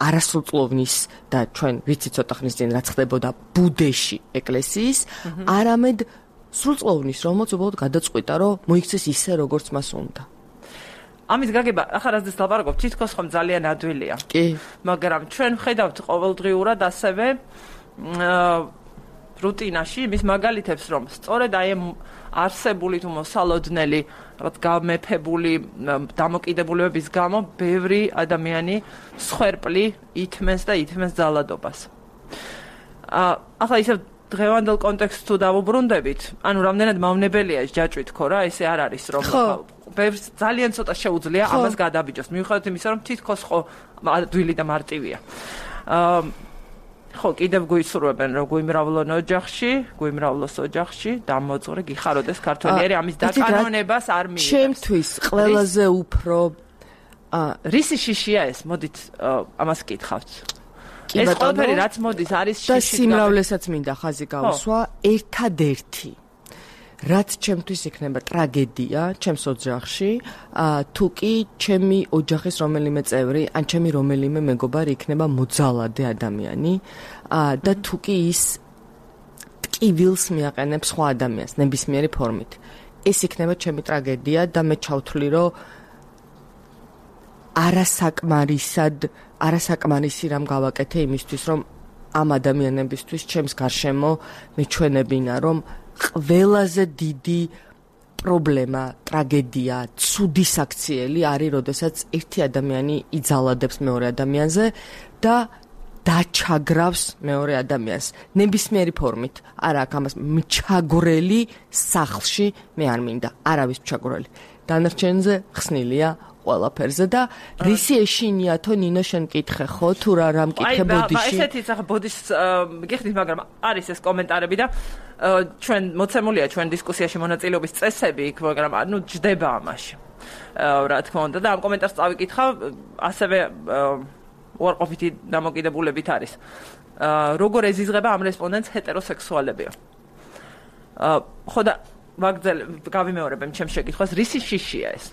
არასრულწლოვნის და ჩვენ ვიცი ცოტა ხნის წინ რაც ხდებოდა ბუდეში ეკლესიის, არამედ სრულწლოვნის, რომელსაც უბრალოდ გადაწყვიტა, რომ მოიქცეს ისე, როგორც მას უნდა. ამის გაგება ახლა რაზეც ლაპარაკობ, თითქოს ხომ ძალიან ადვილია. კი. მაგრამ ჩვენ ხედავთ ყოველდღიურად ასევე რუტინაში იმის მაგალითებს, რომ სწორედ აი არსებული თუ მოსალოდნელი, რაღაც გამეფებული დამოკიდებულებების გამო ბევრი ადამიანი სხერპლი ითმენს და ითმენს ძალადობას. ახლა ისევ დღევანდელ კონტექსტს თუ დავუბრუნდებით, ანუ რამდენად მავნებელია ეს ჯაჭვით ხო რა, ესე არ არის რომ ბევრს ძალიან ცოტა შეუძლია ამას გადაბიჯოს. მიუხედავად იმისა, რომ თითქოს ხო ადვილი და მარტივია. აა ხო, კიდევ გვისურვებენ რომ გვიმრავლონ ოჯახში, გვიმრავლოს ოჯახში, დამოწვრე, გიხაროდეს ქართველიერი, ამის დაკანონებას არ მიიღებს. ჩემთვის ყველაზე უფრო აა რისი შიშია ეს? მოდით ამას კითხავთ. ეს ყველაფერი რაც მოდის არის შიში და სიმრავლესაც მინდა ხაზი გავუსვა ერთადერთი რაც ჩემთვის იქნება ტრაგედია ჩემს ოჯახში თუ კი ჩემი ოჯახის რომელიმე წევრი ან ჩემი რომელიმე მეგობარი იქნება მოძალადე ადამიანი და თუ კი ის ტკივილს მიაყენებს სხვა ადამიანს ნებისმიერი ფორმით ეს იქნება ჩემი ტრაგედია და მე ჩავთვლი რომ არასაკმარისად არასაკმარისი რამ გავაკეთე იმისთვის რომ ამ ადამიანებისთვის ჩემს გარშემო მეჩვენებინა რომ ყველაზე დიდი პრობლემა, ტრაგედია, ცუდი საქციელი არის, როდესაც ერთი ადამიანი იძალადებს მეორე ადამიანზე და დაჩაგრავს მეორე ადამიანს ნებისმიერი ფორმით. არა აქვს ამას მჩაგვრელი სახლში მე არ მინდა, არავის მჩაგვრელი. დანარჩენზე ხსნილია ყველაფერზე და რისი ეშინიათო ნინო შენ კითხე ხო თუ რა რამ კითხე ბოდიში? აი, ესეთი ახლა ბოდის გიხდით, მაგრამ არის ეს კომენტარები და ჩვენ მოცემულია ჩვენ დისკუსიაში მონაწილეობის წესები იქ, მაგრამ ნუ ჯდება ამაში. რა თქმა უნდა და ამ კომენტარს წავიკითხავ, ასევე უარყოფითი დამოკიდებულებით არის. როგორ ეზიზღება ამ რესპონდენტს ჰეტეროსექსუალებია? ხო და მაგძელ გავიმეორებ ჩემს შეკითხვას, რისი შიშია ეს?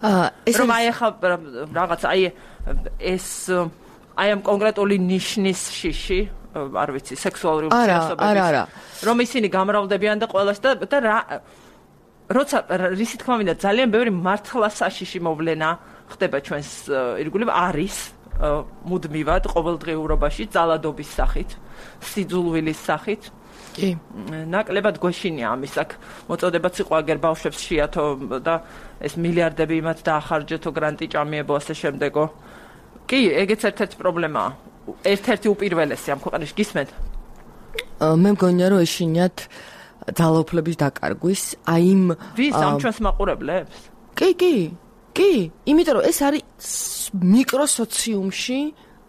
ეს რომ აი ახლა რაღაც აი ეს აი ამ კონკრეტული ნიშნის შიში არ ვიცი სექსუალური ურთიერთობების არა არა რომ ისინი გამრავლდებიან და ყველას და და რა როცა რისი თქმა მინდა ძალიან ბევრი მართლა საშიში მოვლენა ხდება ჩვენს ირგვლივ არის მუდმივად ყოველდღიურობაში ძალადობის სახით სიძულვილის სახით კი ნაკლებად გვეშინია ამის აქ მოწოდებაც იყო აგერ ბავშვებს შეათო და ეს მილიარდები იმათ დაახარჯეთო გრანტი ჭამიებო ასე შემდეგო კი ეგეც ერთ-ერთი პრობლემაა ერთ-ერთი უპირველესი ამ ქვეყანაში გისმენთ მე მგონია რომ ეშინიათ ძალაუფლების დაკარგვის აი იმ ვის ამ ჩვენს მაყურებლებს კი კი კი, იმიტომ რომ ეს არის მიკროსოციუმში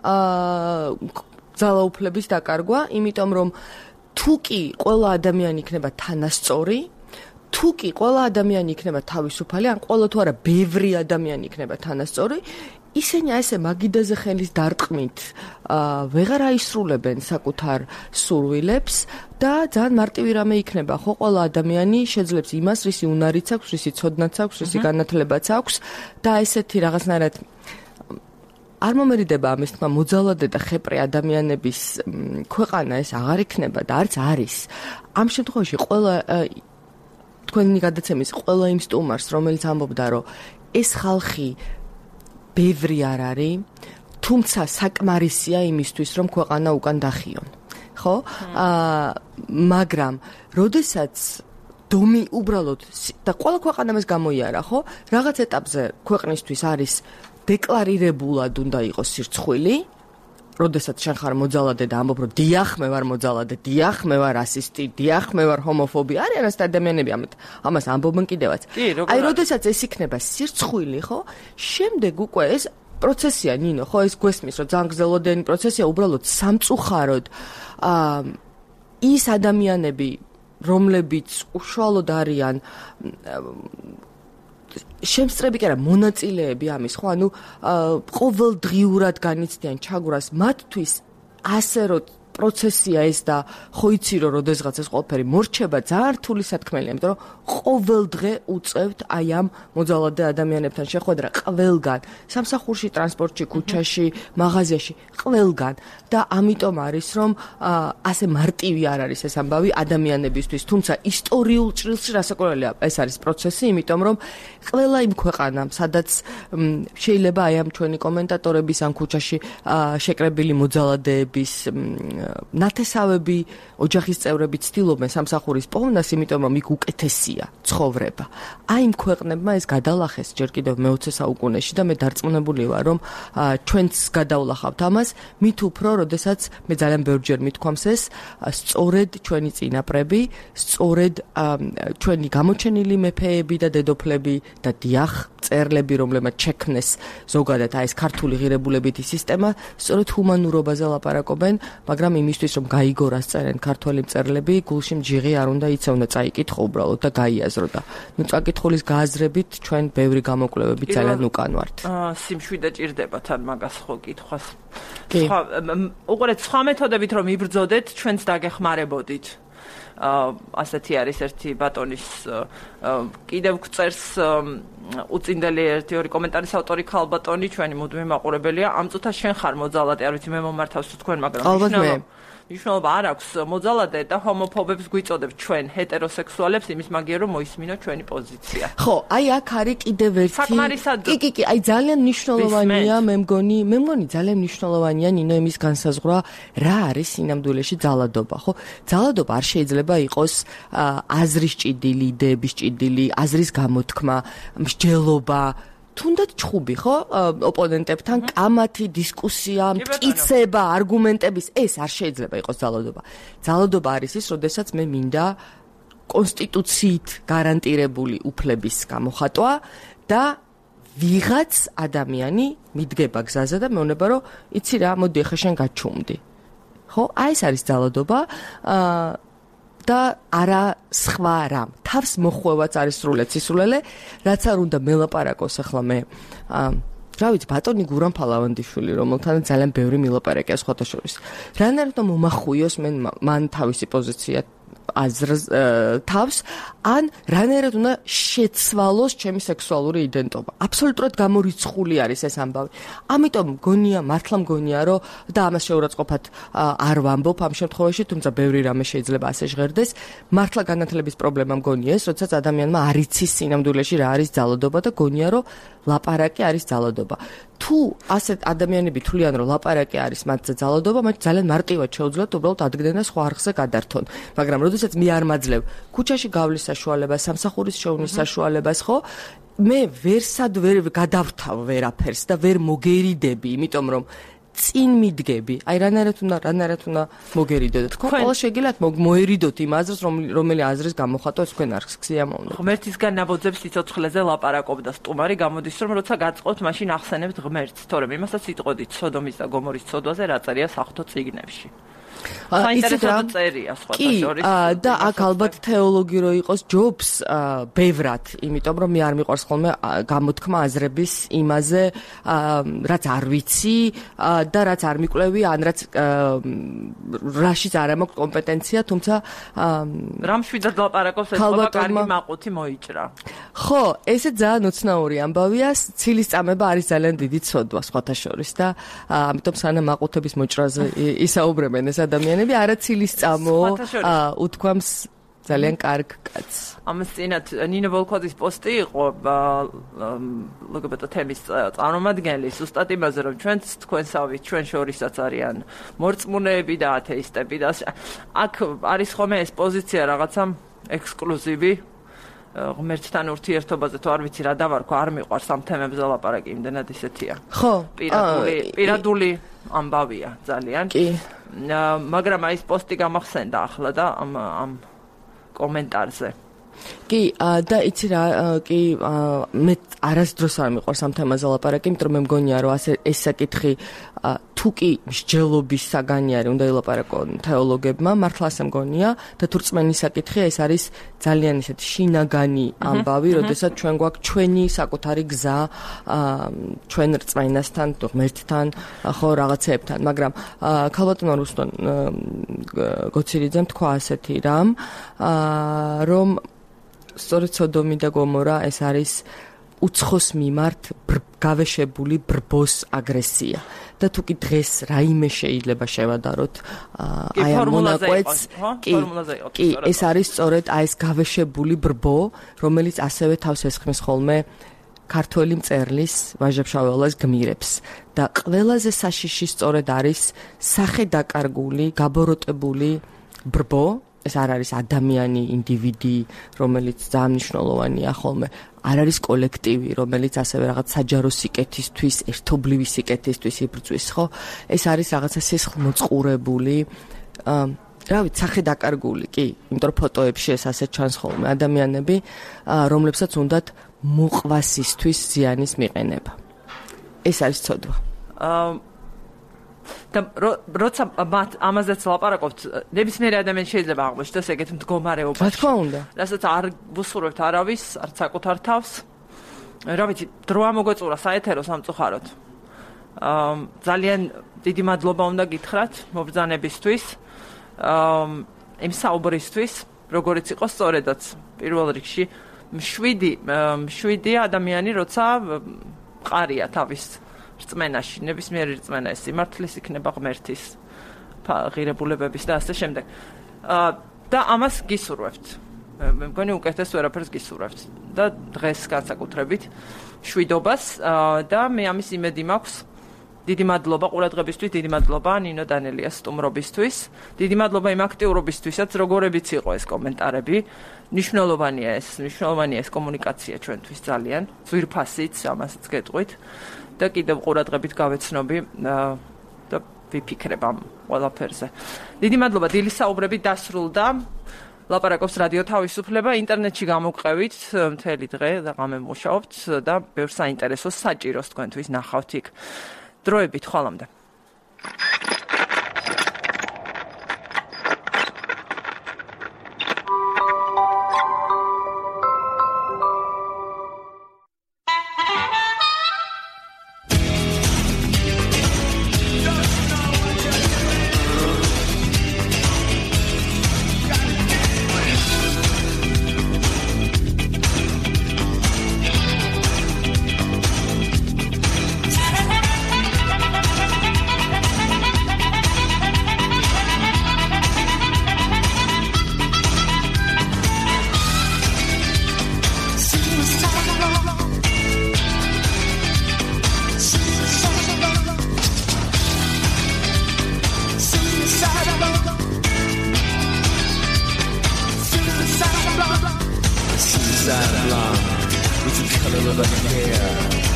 აა ძალაუფლების დაკარგვა, იმიტომ რომ თუ კი ყველა ადამიანი იქნება თანასწორი, თუ კი ყველა ადამიანი იქნება თავისუფალი, ან ყველა თუ არა ბევრი ადამიანი იქნება თანასწორი, ისინი ასე მაგიდაზე ხელის დარტყმით აა ვეღარ აისრულებენ საკუთარ სურვილებს და ძალიან მარტივი რამე იქნება, ხო, ყველა ადამიანი შეძლებს იმას, რისი უნარიც აქვს, რისი ცოდნაც აქვს, რისი განათლებაც აქვს და ესეთი რაღაცნაირად არ მომერიდება ამის თქმა მოძალადე და ხეპრი ადამიანების ქვეყანა ეს აღარ იქნება და არც არის. ამ შემთხვევაში ყველა თქვენი გადაცემის ყველა იმ სტუმარს, რომელიც ამბობდა, რომ ეს ხალხი ბევრი არ არის, თუმცა საკმარისია იმისთვის, რომ ქვეყანა უკან დახიონ. ხო? აა მაგრამ როდესაც დომი უბრალოდ და ყველა ქვეყანა მას გამოიარა, ხო? რაღაც ეტაპზე ქვეყნისთვის არის დეკლარირებულად უნდა იყოს სირცხვილი, როდესაც შენ ხარ მოძალადე და ამბობ, რომ დიახ, მე ვარ მოძალადე, დიახ, მე ვარ რასისტი, დიახ, მე ვარ ჰომოფობი. არიან ასეთ ადამიანები ამას ამბობენ კიდევაც. აი, როდესაც ეს იქნება სირცხვილი, ხო? შემდეგ უკვე ეს პროცესია, ნინო, ხო, ეს გვესმის, რომ ძალიან გრძელვადიანი პროცესია, უბრალოდ სამწუხაროდ აა ის ადამიანები, რომლებიც უშუალოდ არიან შემსწრები კი არა მონაწილეები ამის, ხო, ანუ ყოველდღიურად განიცდიან ჩაგვრას, მათთვის ასე რომ პროცესია ეს და ხო იცი რომ როდესღაც ეს ყველაფერი მორჩება, ძალიან რთული სათქმელია, იმიტომ რომ ყოველდღე უწევთ აი ამ მოძალადე ადამიანებთან შეხვედრა ყველგან, სამსახურში, ტრანსპორტში, ქუჩაში, მაღაზიაში, ყველგან და ამიტომ არის რომ ასე მარტივი არ არის ეს ამბავი ადამიანებისთვის, თუმცა ისტორიულ ჭრილში რასაკვირველია ეს არის პროცესი, იმიტომ რომ ყველა იმ ქვეყანამ, სადაც შეიძლება აი ამ ჩვენი კომენტატორების ან ქუჩაში შეკრებილი მოძალადეების ნათესავები, ოჯახის წევრები ცდილობენ სამსახურის პოვნას, იმიტომ რომ იქ უკეთესია ცხოვრება. აი იმ ქვეყნებმა ეს გადალახეს ჯერ კიდევ მეოცე საუკუნეში და მე დარწმუნებული ვარ, რომ ჩვენც გადავლახავთ ამას, მით უფრო, როდესაც მე ძალიან ბევრჯერ მithქვამს ეს, სწორედ ჩვენი წინაპრები, სწორედ ჩვენი გამოჩენილი მეფეები და დედოფლები და დიახ, წერლები, რომლებმაც შექმნეს ზოგადად აი ეს ქართული ღირებულებითი სისტემა, სწორედ ჰუმანურობაზე ლაპარაკობენ, მაგრამ იმისთვის რომ გაიგორას წერენ ქართველი მწერლები, გულში მჯიღი არ უნდა იცევნო, წაიკითხო უბრალოდ და გაიაზრო და ნუ წაკითხulis გააზრებით ჩვენ ბევრი გამოკვლევები ძალიან უკან ვართ. აა სიმშვიდე ჭირდებათ ან მაგას ხო კითხვას. სხვა უყურეთ სხვა მეთოდებით რომ იბრძოდეთ, ჩვენც დაგეხმარებოდით. ასეთი არის ერთი ბატონის კიდევ გწერს უწინდელი ერთი ორი კომენტარის ავტორი ქალბატონი, ჩვენი მუდმივი მაყურებელია. ამ წუთას შენ ხარ მოძალადე, არ ვიცი მე მომართავს თუ თქვენ, მაგრამ მნიშვნელობა არ აქვს მოძალადე და ჰომოფობებს გვიწოდებთ ჩვენ ჰეტეროსექსუალებს იმის მაგიერ რომ მოისმინოთ ჩვენი პოზიცია. ხო, აი აქ არის კიდევ ერთი კი კი კი, აი ძალიან მნიშვნელოვანია, მე მგონი, მე მგონი ძალიან მნიშვნელოვანია ნინო იმის განსაზღვრა, რა არის სინამდვილეში ძალადობა, ხო? ძალადობა არ შეიძლება იყოს აზრის ჭიდილი, იდეების ჭიდილი, აზრის გამოთქმა, მსჯელობა, თუნდაც ჩხუბი, ხო? ოპონენტებთან კამათი, დისკუსია, მტკიცება, არგუმენტების, ეს არ შეიძლება იყოს ძალადობა. ძალადობა არის ის, როდესაც მე მინდა კონსტიტუციით გარანტირებული უფლების გამოხატვა და ვიღაც ადამიანი მიდგება გზაზე და მეუბნება, რომ იცი რა, მოდი ახლა შენ გაჩუმდი. ხო? აი ეს არის ძალადობა. აა და არა სხვა რამ. თავს მოხვევაც არის სრულად სისულელე, რაც არ უნდა მელაპარაკოს ახლა მე. რა ვიცი, ბატონი გურამ ფალავანდიშვილი, რომელთანაც ძალიან ბევრი მილაპარაკია სხვათა შორის. რანაირად მომახუიოს მენ მან თავისი პოზიცია აზრს თავს, ან რანაირად უნდა შეცვალოს ჩემი სექსუალური იდენტობა. აბსოლუტურად გამორიცხული არის ეს ამბავი. ამიტომ მგონია, მართლა მგონია, რომ და ამას შეურაცხყოფად არ ვამბობ ამ შემთხვევაში, თუმცა ბევრი რამე შეიძლება ასე ჟღერდეს. მართლა განათლების პრობლემა მგონია ეს, როდესაც ადამიანმა არ იცის სინამდვილეში რა არის ძალადობა და გონია, რომ ლაპარაკი არის ძალადობა. თუ ასეთ ადამიანები თვლიან, რომ ლაპარაკი არის მათზე ძალადობა, მათ ძალიან მარტივად შეუძლიათ უბრალოდ ადგენ და სხვა არხზე გადართონ. მაგრამ როდესაც მე არ მაძლევ ქუჩაში გავლის საშუალებას, სამსახურის შოვნის საშუალებას, ხო? მე ვერსად ვერ გადავრთავ ვერაფერს და ვერ მოგერიდები, იმიტომ რომ წინ მიდგები. აი რანაირად უნდა რანაირად უნდა მოგერიდო და თქვენ ყველა შეგიძლიათ მოერიდოთ იმ აზრს, რომელი აზრის გამოხატვა თქვენ არ გსიამოვნებთ. ღმერთისგან ნაბოძებს სიცოცხლეზე ლაპარაკობდა სტუმარი, გამოდის რომ როცა გაწყობთ, მაშინ ახსენებთ ღმერთს, თორემ იმასაც იტყოდით სოდომის და გომორის ცოდვაზე, რა წერია საღვთო წიგნებში. საინტერესო წერია სხვათა შორის. და აქ ალბათ თეოლოგი რო იყოს ჯობს ბევრად, იმიტომ რომ მე არ მიყვარს ხოლმე გამოთქმა აზრების იმაზე, რაც არ ვიცი და რაც არ მიკვლევი, ან რაც რაშიც არ მაქვს კომპეტენცია, თუმცა რამ შვიდად ლაპარაკობს ეს ყველა კარგი მაყუთი მოიჭრა. ხო, ესე ძალიან უცნაური ამბავია, ცილის წამება არის ძალიან დიდი ცოდვა სხვათა შორის და ამიტომ სანამ მაყუთების მოჭრაზე ისაუბრებენ ეს ადამიანები არა ცილის წამო უთქვამს ძალიან კარგ კაცს. ამას წინათ ნინო ვოლკოძის პოსტი იყო ლგბტ თემის წარმომადგენელი ზუსტად იმაზე რომ ჩვენც თქვენსავით ჩვენ შორისაც არიან მორწმუნეები და ათეისტები და აქ არის ხოლმე ეს პოზიცია რაღაცა ექსკლუზივი ღმერთთან ურთიერთობაზე თუ არ ვიცი რა დავარქვა არ მიყვარს ამ თემებზე ლაპარაკი იმდენად ისეთია. ხო, პირადული პირადული ამბავია ძალიან. კი. მაგრამ აი ეს პოსტი გამახსენდა ახლა და ამ ამ კომენტარზე. კი, და იცი რა, კი, მე არასდროს არ მიყვარს ამ თემაზე ლაპარაკი, იმიტომ რომ მე მგონია რომ ასე ეს საკითხი თუ კი მსჯელობის საგანი არის, უნდა ილაპარაკონ თეოლოგებმა, მართლა ასე მგონია და თუ რწმენის საკითხია, ეს არის ძალიან ისეთი შინაგანი ამბავი, როდესაც ჩვენ გვაქვს ჩვენი საკუთარი გზა ჩვენ რწმენასთან, ღმერთთან, ხო, რაღაცეებთან, მაგრამ ქალბატონო რუსტონ გოცირიძემ თქვა ასეთი რამ, რომ სწორედ სოდომი და გომორა ეს არის უცხოს მიმართ გავეშებული ბრბოს აგრესია და თუ კი დღეს რაიმე შეიძლება შევადაროთ აი ამ მონაკვეთს კი ეს არის სწორედ აი ეს გავეშებული ბრბო რომელიც ასევე თავს ესხმის ხოლმე ქართველი მწერლის ვაჟა-ფშაველას გმირებს და ყველაზე საშიში სწორედ არის სახე დაკარგული გაბოროტებული ბრბო ეს არ არის ადამიანი, ინდივიდი, რომელიც ძალიან მნიშვნელოვანია ხოლმე. არ არის კოლექტივი, რომელიც ასევე რაღაც საჯარო სიკეთისთვის, ერთობლივი სიკეთისთვის იბრძვის, ხო? ეს არის რაღაცა სისხლმოწყურებული, რა ვიცი, სახე დაკარგული, კი, იმიტომ რომ ფოტოებში ეს ასე ჩანს ხოლმე ადამიანები, რომლებსაც უნდათ მოყვასისთვის ზიანის მიყენება. ეს არის ცოდვა. აა და როცა ამაზეც ლაპარაკობთ, ნებისმიერი ადამიანი შეიძლება აღმოჩნდეს ეგეთ მდგომარეობაში. რა თქმა უნდა. რასაც არ ვუსურვებთ არავის, არც საკუთარ თავს. რა ვიცი, დრო ამოგვეწურა საეთერო სამწუხაროდ. აა ძალიან დიდი მადლობა უნდა გითხრათ მობრძანებისთვის, აა იმ საუბრისთვის, როგორიც იყო სწორედაც პირველ რიგში მშვიდი, მშვიდი ადამიანი, როცა მყარია თავის რწმენაში, ნებისმიერი რწმენა ეს სიმართლის იქნება ღმერთის ღირებულებების და ასე შემდეგ. და ამას გისურვებთ. მე მგონი უკეთეს ვერაფერს გისურვებთ და დღეს განსაკუთრებით შვიდობას და მე ამის იმედი მაქვს. დიდი მადლობა ყურადღებისთვის, დიდი მადლობა ნინო დანელიას სტუმრობისთვის. დიდი მადლობა იმ აქტიურობისთვისაც, როგორებიც იყო ეს კომენტარები. მნიშვნელოვანია ეს, მნიშვნელოვანია ეს კომუნიკაცია ჩვენთვის ძალიან. ძვირფასიც, ამასაც გეტყვით. და კიდევ ყურადღებით გავეცნობი და ვიფიქრებ ამ ყველაფერზე. დიდი მადლობა, დილის საუბრები დასრულდა. ლაპარაკობს რადიო თავისუფლება, ინტერნეტში გამოგყევით მთელი დღე და ღამე მუშაობთ და ბევრ საინტერესო საჭიროს თქვენთვის ნახავთ იქ. დროებით ხვალამდე.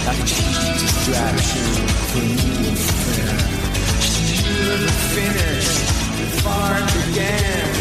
Like a cheap distraction for you and fair. couldn't finish before it began.